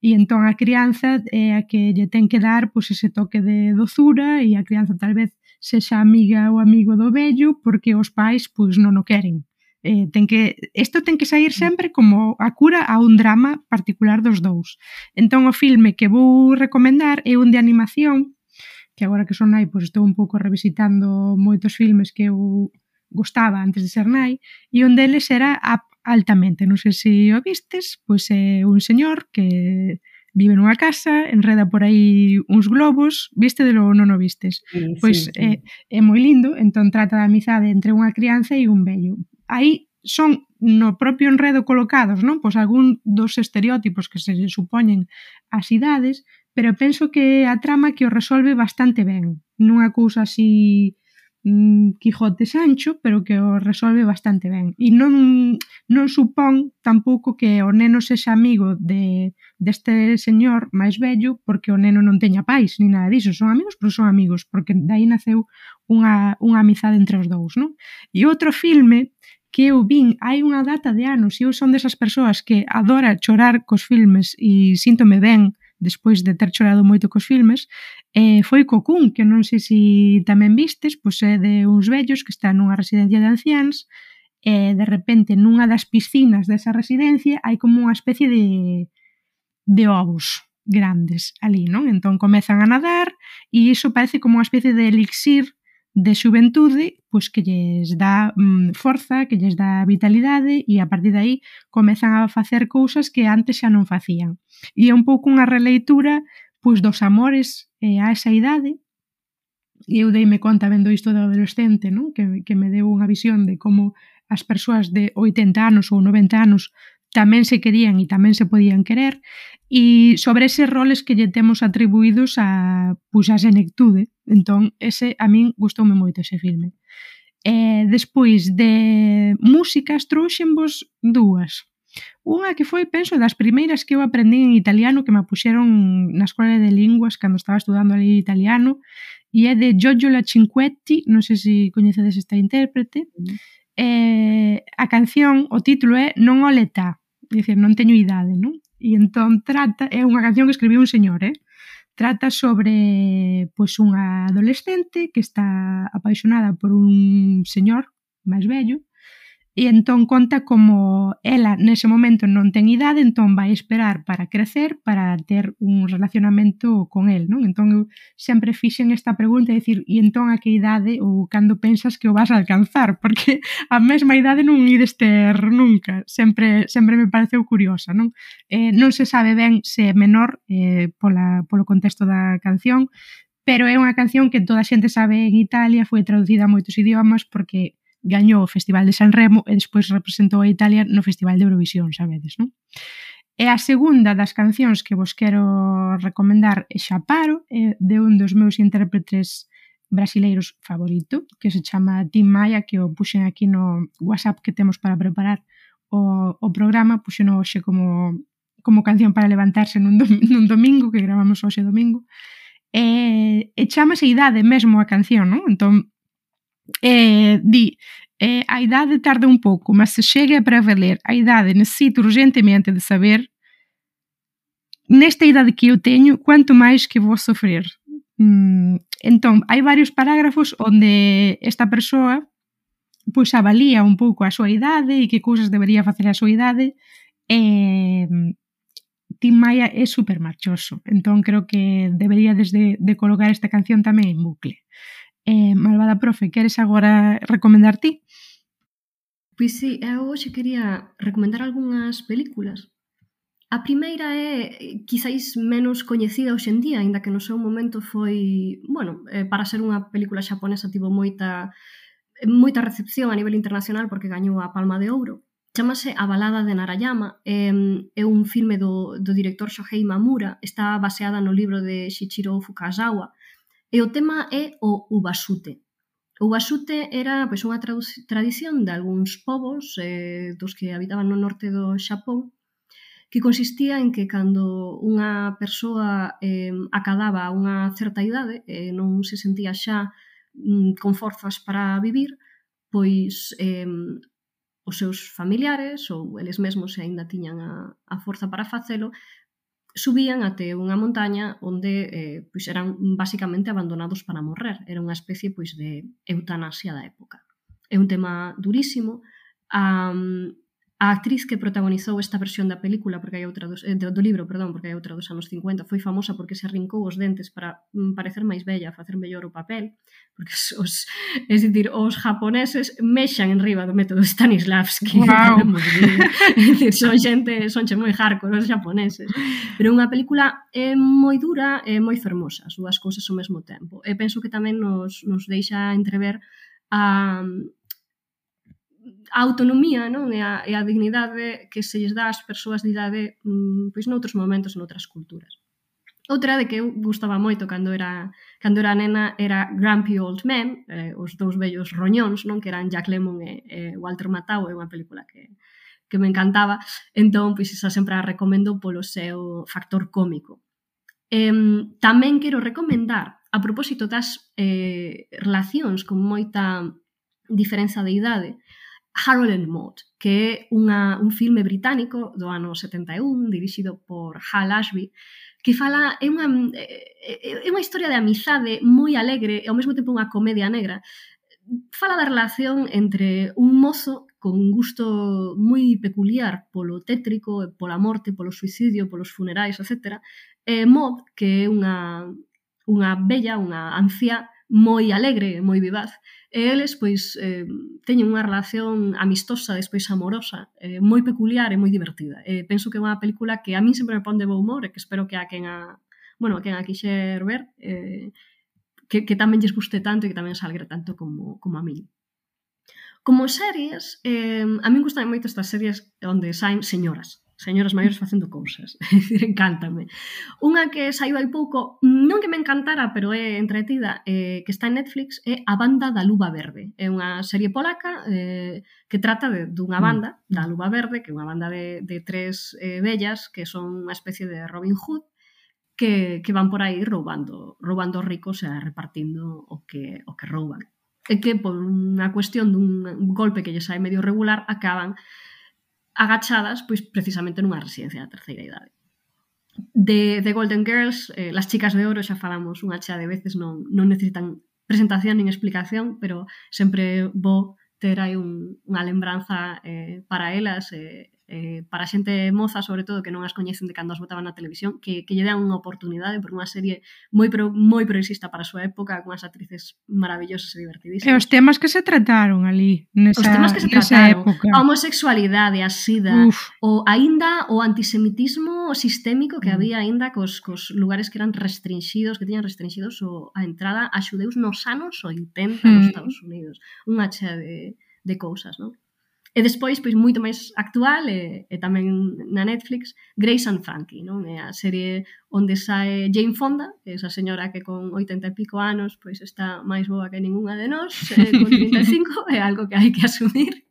e entón a crianza é a que lle ten que dar pois, ese toque de dozura e a crianza tal vez sexa amiga ou amigo do vello porque os pais pois non o queren. Eh, ten que, isto ten que sair sempre como a cura a un drama particular dos dous. Entón o filme que vou recomendar é un de animación, que agora que son nai pois estou un pouco revisitando moitos filmes que eu gostaba antes de ser nai, e un deles era Up Altamente, non sei se o vistes, pois é un señor que vive nunha casa, enreda por aí uns globos, viste de lo non o vistes? Sí, Pois sí, sí. é, é moi lindo, entón trata da amizade entre unha crianza e un vello. Aí son no propio enredo colocados, non? Pois algún dos estereótipos que se supoñen ás idades, pero penso que a trama que o resolve bastante ben. Non é cousa así mmm, Quijote Sancho, pero que o resolve bastante ben. E non, non supón tampouco que o neno sexa amigo de, deste señor máis vello porque o neno non teña pais, ni nada disso. Son amigos, pero son amigos, porque daí naceu unha, unha amizade entre os dous, non? E outro filme que eu vin hai unha data de anos e eu son desas persoas que adora chorar cos filmes e síntome ben despois de ter chorado moito cos filmes, eh, foi Cocoon, que non sei se tamén vistes, pois é de uns vellos que están nunha residencia de anciáns e de repente nunha das piscinas desa residencia hai como unha especie de, de ovos grandes ali, non? Entón comezan a nadar e iso parece como unha especie de elixir de xuventude, pois que lles dá mm, forza, que lles dá vitalidade e a partir de aí comezan a facer cousas que antes xa non facían. E é un pouco unha releitura pois dos amores eh, a esa idade, e eu deime conta vendo isto do adolescente, non? Que, que me deu unha visión de como as persoas de oitenta anos ou noventa anos tamén se querían e tamén se podían querer, e sobre eses roles que lle temos atribuídos a, pois, a senectude. Entón, ese, a min gustoume moito ese filme. E despois de músicas trouxenvos dúas. Unha que foi, penso, das primeiras que eu aprendí en italiano, que me puxeron na escola de linguas cando estaba estudando ali italiano, e é de Giorgio Cinquetti, non sei se coñecedes esta intérprete. Mm. Eh, a canción, o título é Non ho l'età, é dicir, non teño idade, non? E entón trata, é unha canción que escribiu un señor, eh? Trata sobre pois unha adolescente que está apaixonada por un señor máis vello e entón conta como ela nese momento non ten idade, entón vai esperar para crecer para ter un relacionamento con el, non? Entón eu sempre fixen esta pregunta, é dicir, e entón a que idade ou cando pensas que o vas a alcanzar? Porque a mesma idade non ides ter nunca, sempre sempre me pareceu curiosa, non? Eh, non se sabe ben se é menor eh, pola, polo contexto da canción, pero é unha canción que toda a xente sabe en Italia, foi traducida a moitos idiomas porque gañou o Festival de San Remo e despois representou a Italia no Festival de Eurovisión, sabedes, non? E a segunda das cancións que vos quero recomendar é Xaparo, é de un dos meus intérpretes brasileiros favorito, que se chama Tim Maia, que o puxen aquí no WhatsApp que temos para preparar o, o programa, puxen hoxe como, como canción para levantarse nun, dom, nun domingo, que gravamos hoxe domingo, e, e chamase Idade mesmo a canción, non? Entón, Eh, di eh, a idade tarda un pouco, mas se chega é para valer. A idade necessito urgentemente de saber, nesta idade que eu teño, quanto máis que vou sofrer. Mm, entón, hai varios parágrafos onde esta persoa pois avalía un pouco a súa idade e que cousas debería facer a súa idade. E Tim Maia é super marchoso, entón creo que deberíades de, de colocar esta canción tamén en bucle. Eh, malvada profe, queres agora recomendar ti? Pois sí, eu hoxe quería recomendar algunhas películas. A primeira é quizáis menos coñecida hoxe en día, aínda que no seu momento foi, bueno, eh, para ser unha película xaponesa tivo moita moita recepción a nivel internacional porque gañou a Palma de Ouro. Chámase A balada de Narayama, é, é un filme do, do director Shohei Mamura, está baseada no libro de Shichiro Fukasawa, e o tema é o ubasute. O ubasute era pois, unha tradición de algúns povos eh, dos que habitaban no norte do Xapón que consistía en que cando unha persoa eh, acadaba unha certa idade e eh, non se sentía xa mm, con forzas para vivir, pois eh, os seus familiares ou eles mesmos se aínda tiñan a, a forza para facelo, subían até unha montaña onde eh, pois eran basicamente abandonados para morrer. Era unha especie pois de eutanasia da época. É un tema durísimo. A, a actriz que protagonizou esta versión da película, porque hai outra dos, eh, do libro, perdón, porque hai outra dos anos cincuenta, foi famosa porque se arrincou os dentes para mm, parecer máis bella, facer mellor o papel, porque os, é dicir, os japoneses mexan en riba do método Stanislavski. Wow. É dicir, son xente, son xe moi hardcore os japoneses. Pero unha película é moi dura e moi fermosa, as dúas cousas ao mesmo tempo. E penso que tamén nos, nos deixa entrever a a autonomía, non? E, a, e a dignidade que se lles dá ás persoas de idade mm, pois noutros momentos e noutras culturas. Outra de que eu gustaba moito cando era cando era nena era Grumpy Old Men, eh, os dous vellos roñóns, non? Que eran Jack Lemmon e, e Walter Matthau, é unha película que, que me encantaba. Entón, pois esa sempre a recomendo polo seu factor cómico. Eh, tamén quero recomendar, a propósito das eh, relacións con moita diferenza de idade, Harold and Maude, que é unha, un filme británico do ano setenta e un, dirixido por Hal Ashby, que fala, é unha, é unha historia de amizade moi alegre e ao mesmo tempo unha comedia negra. Fala da relación entre un mozo con un gusto moi peculiar polo tétrico, pola morte, polo suicidio, polos funerais, etcétera, e Maude, que é unha, unha bella, unha anciá moi alegre, moi vivaz, e eles pois eh, teñen unha relación amistosa, despois amorosa, eh, moi peculiar e moi divertida. Eh, penso que é unha película que a min sempre me pon de bo humor e que espero que a quen a, bueno, a quen a quixer ver eh, que, que tamén lles guste tanto e que tamén salgre tanto como, como a min. Como series, eh, a min gustan moito estas series onde saen señoras, señoras maiores facendo cousas. É dicir, encántame. Unha que saiu hai pouco, non que me encantara, pero é entretida, eh, que está en Netflix, é A Banda da Luva Verde. É unha serie polaca eh, que trata de, dunha banda, da Luva Verde, que é unha banda de, de tres eh, vellas, que son unha especie de Robin Hood, que, que van por aí roubando, roubando ricos e repartindo o que, o que rouban. E que, por unha cuestión dun golpe que lle sai medio regular, acaban agachadas, pois precisamente nunha residencia da terceira idade. De, de Golden Girls, eh, las chicas de oro, xa falamos unha chea de veces, non, non necesitan presentación nin explicación, pero sempre bo ter aí un, unha lembranza eh, para elas, eh, eh, para a xente moza, sobre todo, que non as coñecen de cando as botaban na televisión, que, que lle dan unha oportunidade, por unha serie moi, pro, moi progresista para a súa época, con as actrices maravillosas e divertidísimas. E os temas que se trataron ali, nesa, os temas que se trataron, época. A homosexualidade, a sida, Uf. o aínda o antisemitismo sistémico que mm. había aínda cos, cos lugares que eran restringidos, que tiñan restringidos o, a entrada a xudeus nos anos oitenta mm. nos Estados Unidos. Unha chea de, de cousas, non? E despois, pois, moito máis actual e, e tamén na Netflix, Grace and Frankie, non? É a serie onde sae Jane Fonda, esa señora que con oitenta e pico anos pois está máis boa que ningunha de nós, eh, con trinta e cinco, é algo que hai que asumir.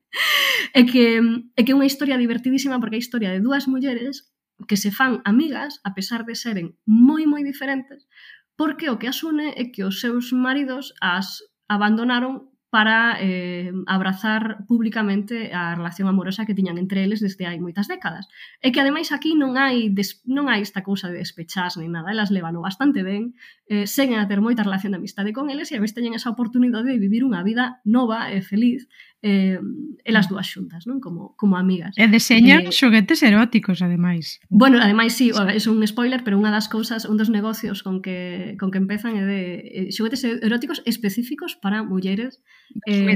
É que é que é unha historia divertidísima porque é a historia de dúas mulleres que se fan amigas a pesar de seren moi moi diferentes, porque o que as une é que os seus maridos as abandonaron para eh, abrazar públicamente a relación amorosa que tiñan entre eles desde hai moitas décadas. E que ademais aquí non hai des, non hai esta cousa de despechas nin nada, elas levan bastante ben, eh, seguen a ter moita relación de amistade con eles e a vez teñen esa oportunidade de vivir unha vida nova e feliz eh, elas dúas xuntas, non? Como, como amigas. E deseñan eh, xoguetes eróticos, ademais. Bueno, ademais, sí, é un spoiler, pero unha das cousas, un dos negocios con que, con que empezan é de eh, xoguetes eróticos específicos para mulleres. Eh,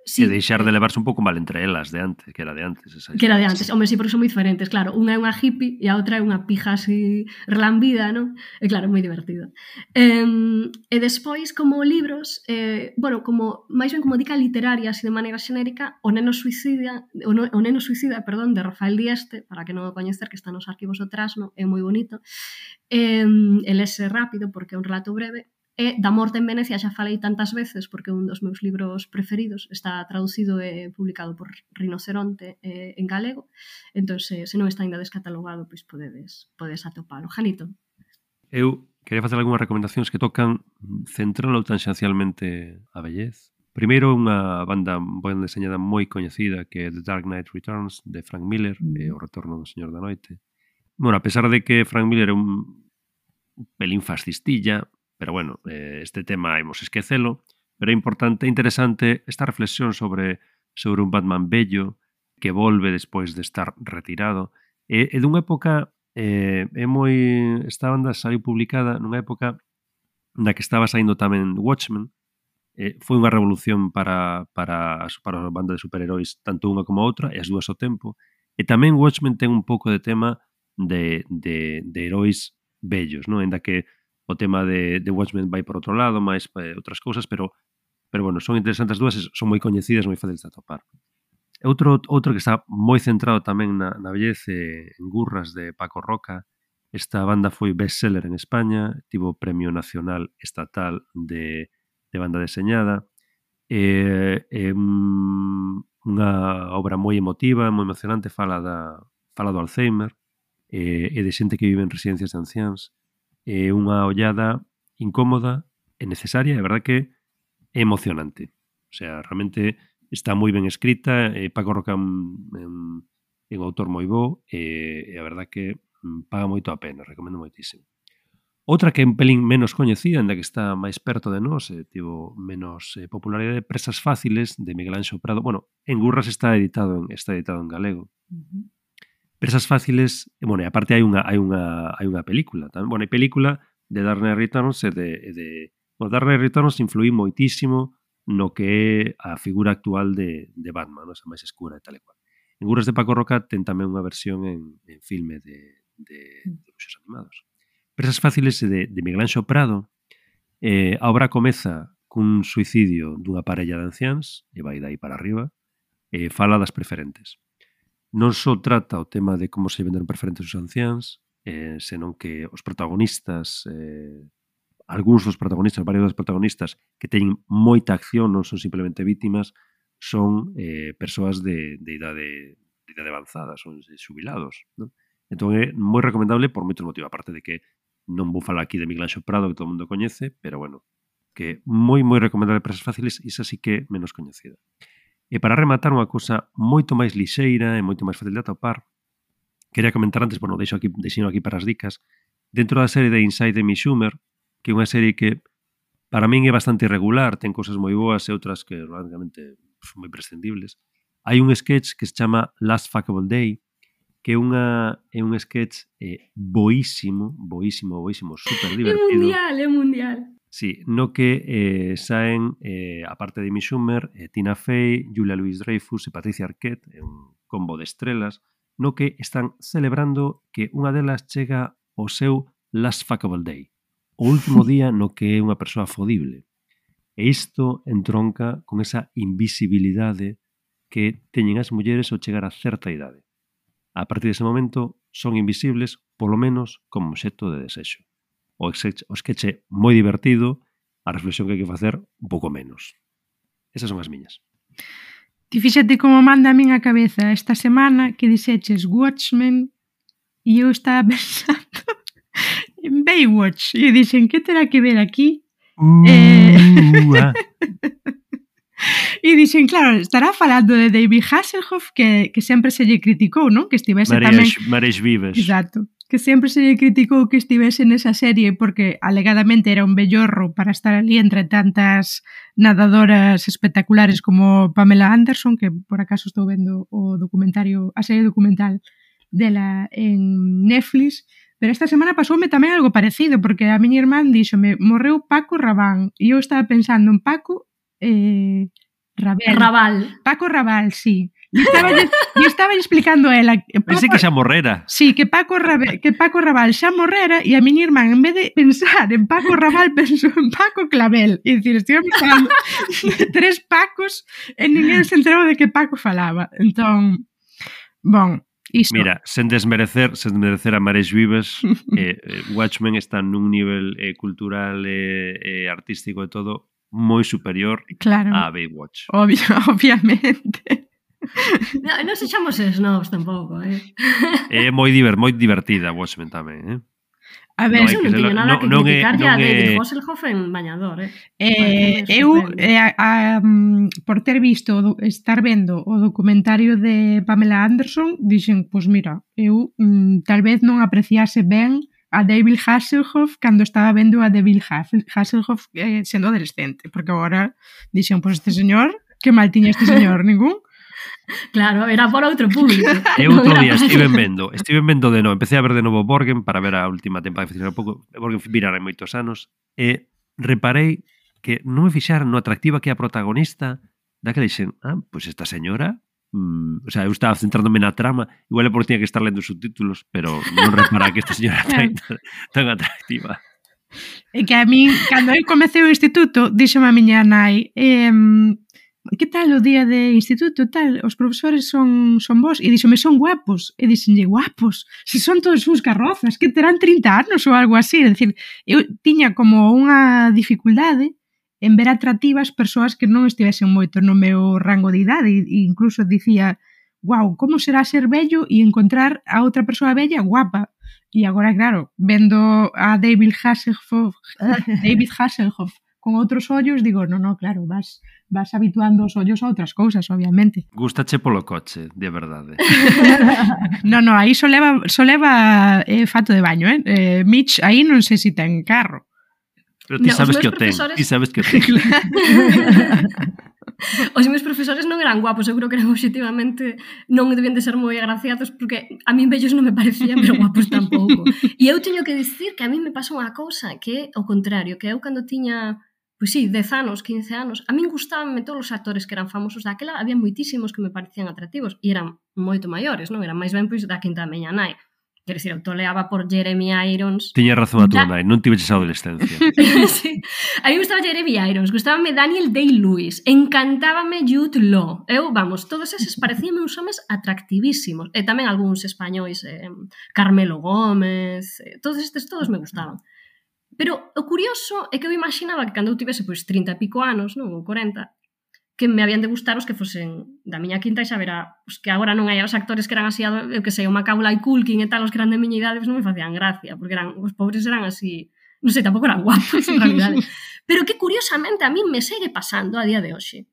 sí. E deixar de levarse un pouco mal entre elas de antes, que era de antes. Esa que era de antes, hombre, sí, porque son moi diferentes, claro. Unha é unha hippie e a outra é unha pija así relambida, non? E claro, moi divertido. Eh, e despois, como libros, eh, bueno, como máis ben como dica literaria, así de maneira xenérica, O neno suicida, o, no, o neno suicida, perdón, de Rafael Dieste, para que non o coñecer, que está nos arquivos do Trasno, é moi bonito. Eh, el ese rápido, porque é un relato breve. E da morte en Venecia xa falei tantas veces porque un dos meus libros preferidos está traducido e publicado por Rinoceronte eh, en galego, entón se, se non está ainda descatalogado, pois podedes, podedes atopalo. Janito. Eu quería facer algunhas recomendacións que tocan central ou tangencialmente a vellez. Primeiro, unha banda ben deseñada moi coñecida que é The Dark Knight Returns, de Frank Miller, mm. e o retorno do Señor da Noite. Bueno, a pesar de que Frank Miller é un pelín fascistilla, pero bueno, este tema imos esquecelo, pero é importante, interesante esta reflexión sobre sobre un Batman bello que volve despois de estar retirado. É, é dunha época, eh, é moi... Esta banda saiu publicada nunha época na que estaba saindo tamén Watchmen. Eh, foi unha revolución para, para, para a banda de superheróis, tanto unha como a outra, e as dúas ao tempo. E tamén Watchmen ten un pouco de tema de, de, de heróis bellos, non? Enda que o tema de, de Watchmen vai por outro lado, máis eh, outras cousas, pero, pero bueno, son interesantes as dúas, son moi coñecidas, moi fáciles de atopar. Outro, outro que está moi centrado tamén na, na bellez, eh, en Gurras, de Paco Roca. Esta banda foi bestseller en España, tivo premio nacional estatal de, de banda deseñada. É eh, eh, unha obra moi emotiva, moi emocionante, fala, da, fala do Alzheimer, eh, e de xente que vive en residencias de anciáns. É unha ollada incómoda e necesaria, é verdad que é emocionante. O sea, realmente está moi ben escrita, e Paco Roca é un, un autor moi bo, e, e a verdad que paga moito a pena, recomendo moitísimo. Outra que é un pelín menos coñecida, ainda que está máis perto de nós, e tivo menos eh, popularidade, Presas Fáciles, de Miguel Anxo Prado. Bueno, en Gurras está editado en, está editado en galego. Uh-huh. Presas Fáciles, bueno, e aparte hai unha hai unha hai unha película, tamén. Bueno, hai película de Dark Knight Returns e de, de bueno, Dark Knight Returns influí moitísimo no que é a figura actual de, de Batman, non? Esa máis escura e tal e cual. En Gurras de Paco Roca ten tamén unha versión en, en filme de, de, de dibuixos animados. Presas Fáciles de, de Miguel Anxo Prado. Eh, a obra comeza cun suicidio dunha parella de anciáns e vai dai para arriba, e fala das preferentes. Non só trata o tema de como se venderon preferentes os anciáns, eh, senón que os protagonistas, eh, algúns dos protagonistas, varios dos protagonistas que teñen moita acción, non son simplemente vítimas, son eh, persoas de, de, idade, de idade avanzada, son xubilados, non? Entón é moi recomendable por moitos motivos, aparte de que non vou falar aquí de Miguel Anxo Prado, que todo o mundo coñece, pero bueno, que moi, moi recomendable Presas Fáciles, e esa sí que é menos coñecida. E para rematar unha cousa moito máis lixeira e moito máis fácil de atopar, quería comentar antes, bueno, deixo aquí, deixo aquí para as dicas, dentro da serie de Inside Amy Schumer, que é unha serie que para min é bastante irregular, ten cousas moi boas e outras que realmente son moi prescindibles. Hai un sketch que se chama Last Fuckable Day, que é unha é un sketch eh, boísimo, boísimo, boísimo, super divertido. É mundial, é mundial. Sí, no que eh, saen, eh, a parte de Amy Schumer, eh, Tina Fey, Julia Louis-Dreyfus e Patricia Arquette, é un combo de estrelas, no que están celebrando que unha delas chega ao seu Last Fuckable Day, o último día no que é unha persoa fodible. E isto entronca con esa invisibilidade que teñen as mulleres ao chegar a certa idade. A partir dese momento son invisibles, polo menos como obxecto de desexo. O sketch é moi divertido, a reflexión que hai que facer un pouco menos. Esas son as miñas. Ti fíxate como manda a min a cabeza esta semana que dixeches Watchmen e eu estaba pensando en Baywatch e dixen, que terá que ver aquí? Uh, eh... ah. E dixen, claro, estará falando de David Hasselhoff que, que sempre se lle criticou, non? Que estivese tamén... Mares Vives. Exacto. Que sempre se lle criticou que estivese nesa serie porque alegadamente era un bellorro para estar ali entre tantas nadadoras espectaculares como Pamela Anderson, que por acaso estou vendo o documentario, a serie documental dela en Netflix, pero esta semana pasoume tamén algo parecido, porque a miña irmán díxome, morreu Paco Rabanne, e eu estaba pensando en Paco eh, Rabel. Raval. Paco Raval, sí. E estaba, estaba explicando a ela que Paco, pensei que xa morrera. Sí, que Paco, Rabe, que Paco Raval xa morrera, e a miña irmán, en vez de pensar en Paco Raval, pensou en Paco Clavel. E dicir, estivemos falando de tres Pacos e ninguén se enterou de que Paco falaba. Entón, bon, Iso. Mira, sen desmerecer, sen desmerecer a Mares Vives, eh, Watchmen está nun nivel eh, cultural e eh, eh, artístico e todo moi superior claro. a Baywatch. Obvio, obviamente. No, non sexamos snobs tampouco, eh? É moi, diver, moi divertida Watchmen tamén, eh? A ver, no, non teño nada que criticar non a é... David Hasselhoff en Bañador, eh? eh eu, eh, a, a, por ter visto, estar vendo o documentario de Pamela Anderson, dixen, pois mira, eu mm, tal vez non apreciase ben a David Hasselhoff cando estaba vendo a David Hasselhoff eh, sendo adolescente, porque agora dixen, pois este señor, que mal tiña este señor, ningún. Claro, era por outro público. Eu outro día estive vendo, estive vendo de novo, empecé a ver de novo Borgen para ver a última temporada, que un pouco, Borgen virara en moitos anos, e reparei que non me fixaran no atractiva que é a protagonista, daquela dixen, ah, pois esta señora, mm, o sea, eu estaba centrándome na trama, igual é porque tiña que estar lendo subtítulos, pero non repara que esta señora tan, tan atractiva. E que a min, cando eu comecei o instituto, dixeme a miña nai, eh, que tal o día de instituto, tal, os profesores son son vos, e díxome, son guapos, e díxenlle, guapos, se son todos uns carrozas, que terán trinta anos ou algo así, é dicir, eu tiña como unha dificultade en ver atractivas persoas que non estivesen moito no meu rango de idade, e incluso dicía, guau, como será ser bello e encontrar a outra persoa bella guapa, e agora, claro, vendo a David Hasselhoff, David Hasselhoff con outros ollos, digo, no, no, claro, vas vas habituando os ollos a outras cousas, obviamente. Gústache polo coche, de verdade. no, no, aí só leva, só leva eh, fato de baño, eh? eh Mitch, aí non sei se ten carro. Pero ti no, sabes que o ten, profesores... ti sabes que o ten. Os meus profesores non eran guapos, eu creo que eran objetivamente, non debían de ser moi agraciados, porque a min bellos non me parecían, pero guapos tampouco. E eu teño que dicir que a mí me pasou unha cousa que é o contrario, que eu cando tiña, pois sí, dez anos, quince anos, a min gustabanme todos os actores que eran famosos daquela, había moitísimos que me parecían atractivos, e eran moito maiores, non? Eran máis ben pois da quinta da miña nai. Quero dicir, eu toleaba por Jeremy Irons. Tiña razón a tua nai, non tiveches a adolescencia. Sí. A mí gustaba Jeremy Irons, gustábame Daniel Day-Lewis, encantábame Jude Law. Eu, vamos, todos eses parecíanme uns homes atractivísimos. E tamén algúns españois, eh, Carmelo Gómez, eh, todos estes, todos me gustaban. Pero o curioso é que eu imaginaba que cando eu tivese pois trinta e pico anos, non, ou corenta, que me habían de gustar os que fosen da miña quinta e xa verá, os que agora non hai os actores que eran así, eu que sei, o Macaulay Culkin e tal, os que eran de miña idade, pues non me facían gracia, porque eran, os pobres eran así, non sei, tampouco eran guapos, en realidade. Pero que curiosamente a mí me segue pasando a día de hoxe,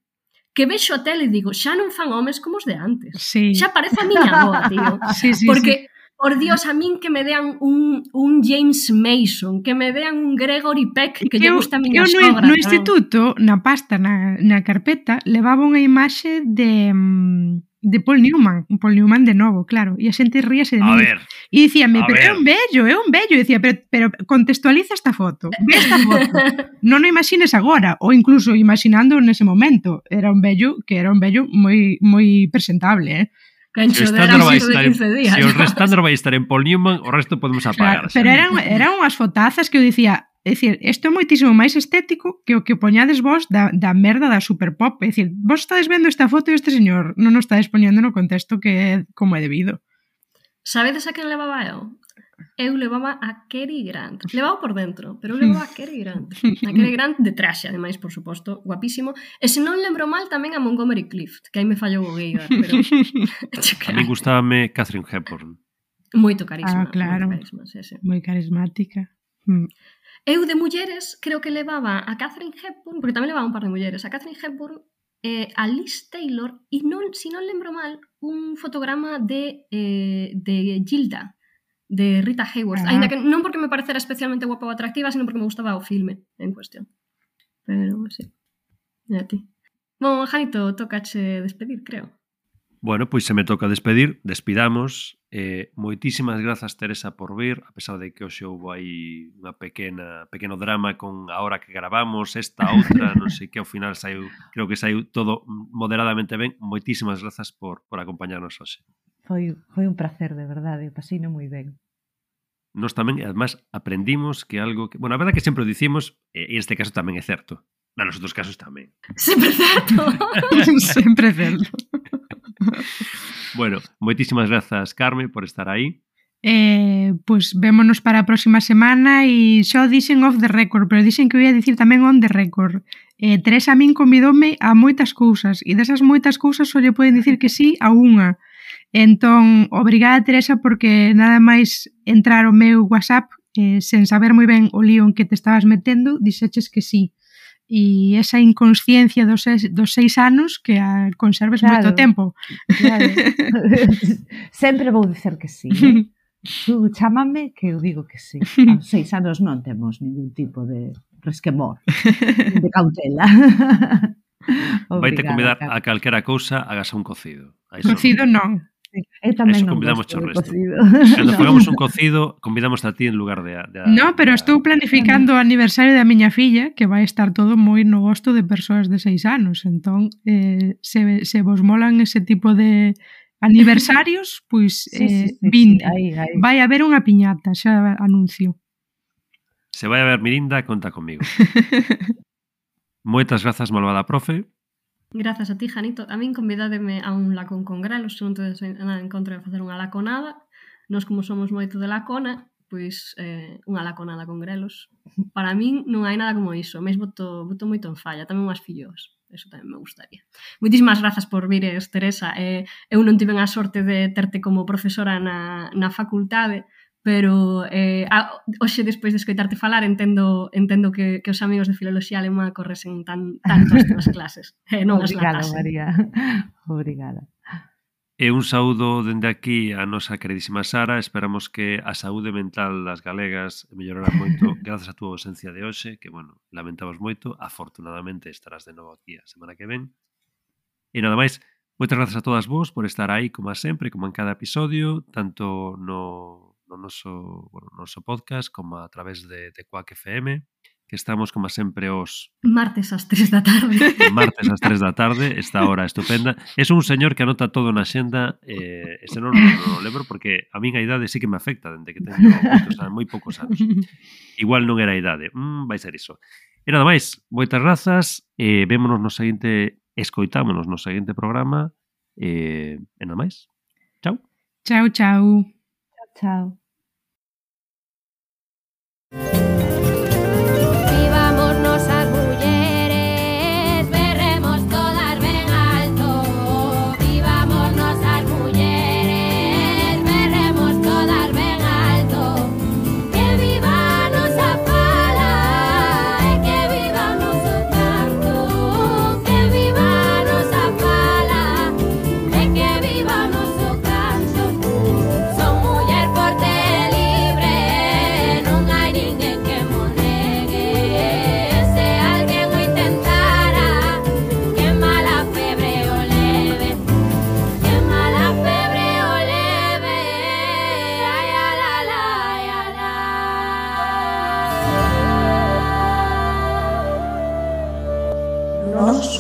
que vexo a tele e digo, xa non fan homes como os de antes. Sí. Xa parece a miña avoa, tío. Sí, sí, porque... sí. Por Dios, a min que me dean un, un James Mason, que me dean un Gregory Peck, que lle gusta a miña eu sogra. No, no instituto, na pasta, na, na carpeta, levaba unha imaxe de, de Paul Newman, un Paul Newman de novo, claro, e a xente ríase de mí. A ver. E dicíame, a pero ver. é un bello, é un bello, e dicía, pero, pero contextualiza esta foto, ve esta foto, non o imagines agora, ou incluso imaginando nese momento, era un bello, que era un bello moi moi presentable, eh? Cancho, Se o era estándar vai de estar quince en, días. se o estándar vai estar en Paul Newman, o resto podemos apagar. Claro, pero eran, eran unhas fotazas que eu dicía, é dicir, isto é moitísimo máis estético que o que poñades vos da, da merda da superpop. É dicir, vos estades vendo esta foto e este señor non o estades poñendo no contexto que é como é debido. Sabedes a quen levaba eu? Eu levaba a Cary Grant. Levaba por dentro, pero eu levaba a Cary Grant. A Cary Grant de traxe, ademais, por suposto, guapísimo. E se non lembro mal, tamén a Montgomery Clift, que aí me fallou o Geiger, pero... A mí gustábame Catherine Hepburn. Moito carisma. Ah, claro. Moito carisma, sí, sí. Moi carismática. Mm. Eu de mulleres creo que levaba a Catherine Hepburn, porque tamén levaba un par de mulleres, a Catherine Hepburn, eh, a Liz Taylor, e non, se non lembro mal, un fotograma de, eh, de Gilda, de Rita Hayworth, ah. Ainda que non porque me parecera especialmente guapa ou atractiva, sino porque me gustaba o filme en cuestión. Pero, sí. E a ti. Bon, Janito, tocache despedir, creo. Bueno, pois se me toca despedir, despidamos. Eh, moitísimas grazas, Teresa, por vir, a pesar de que hoxe houve aí unha pequena pequeno drama con a hora que gravamos, esta outra, non sei que ao final saiu, creo que saiu todo moderadamente ben. Moitísimas grazas por, por acompañarnos hoxe. Foi, foi un placer, de verdade, pasino moi ben. Nos tamén, además, aprendimos que algo que... Bueno, a verdade que sempre o dicimos, e neste caso tamén é certo. Na nos outros casos tamén. Sempre certo. Sempre certo. Bueno, moitísimas grazas, Carme, por estar aí. Eh, pois pues, vémonos para a próxima semana e xo dixen off the record, pero dixen que eu ia dicir tamén on the record. Eh, Teresa a min convidoume a moitas cousas e desas moitas cousas só lle poden dicir que sí a unha. Entón, obrigada Teresa porque nada máis entrar ao meu WhatsApp eh, sen saber moi ben o lío en que te estabas metendo, dixeches que sí. E esa inconsciencia dos seis, dos seis anos que a conserves claro, moito tempo. Claro. Sempre vou dicer que sí. Eh? Tú chámame que eu digo que sí. Aos seis anos non temos ningún tipo de resquemor, de cautela. Vai te convidar a calquera cousa, hagas un cocido. Cocido non. Eu tamén non convidamos gosto de cocido. Cando pagamos un cocido, convidamos a ti en lugar de... de no, pero de, estou planificando o aniversario da miña filla, que vai estar todo moi no gosto de persoas de seis anos. Entón, eh, se, se vos molan ese tipo de aniversarios, pois pues, sí, eh, sí, sí, vinte. Sí, aí, aí. Vai haber unha piñata, xa anuncio. Se vai a ver Mirinda, conta comigo. Moitas grazas, malvada profe. Grazas a ti, Janito. A min convidádeme a un lacón con grelos, se non tedes nada en contra de facer unha laconada. Nós, como somos moito de lacona, pois eh, unha laconada con grelos. Para min non hai nada como iso. Mesmo boto, boto moito en falla, tamén unhas fillos. Eso tamén me gustaría. Moitísimas grazas por vires, Teresa. Eh, eu non tiven a sorte de terte como profesora na, na facultade, pero eh, a, hoxe, despois de escoitarte falar, entendo entendo que, que os amigos de Filoloxía Alemá corresen tan, tanto as túas clases. Eh, non Obrigada, María. Obrigada. E un saúdo dende aquí a nosa queridísima Sara. Esperamos que a saúde mental das galegas mellorará moito grazas a túa ausencia de hoxe, que, bueno, lamentamos moito. Afortunadamente estarás de novo aquí a semana que ven. E nada máis, moitas grazas a todas vos por estar aí, como a sempre, como en cada episodio, tanto no, no noso, bueno, noso podcast como a través de, de Quack F M, que estamos, como sempre, os... Martes ás tres da tarde. Martes ás tres da tarde, esta hora estupenda. É un señor que anota todo na xenda, eh, ese non, non, non lembro, porque a min a idade sí que me afecta, dende que teño moitos anos, moi poucos anos. Igual non era a idade, mm, vai ser iso. E nada máis, moitas grazas, e eh, vémonos no seguinte, escoitámonos no seguinte programa, e, eh, e nada máis. Chao. Chao, chao. Chao, chao.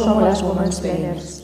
Somos las Women's Planners.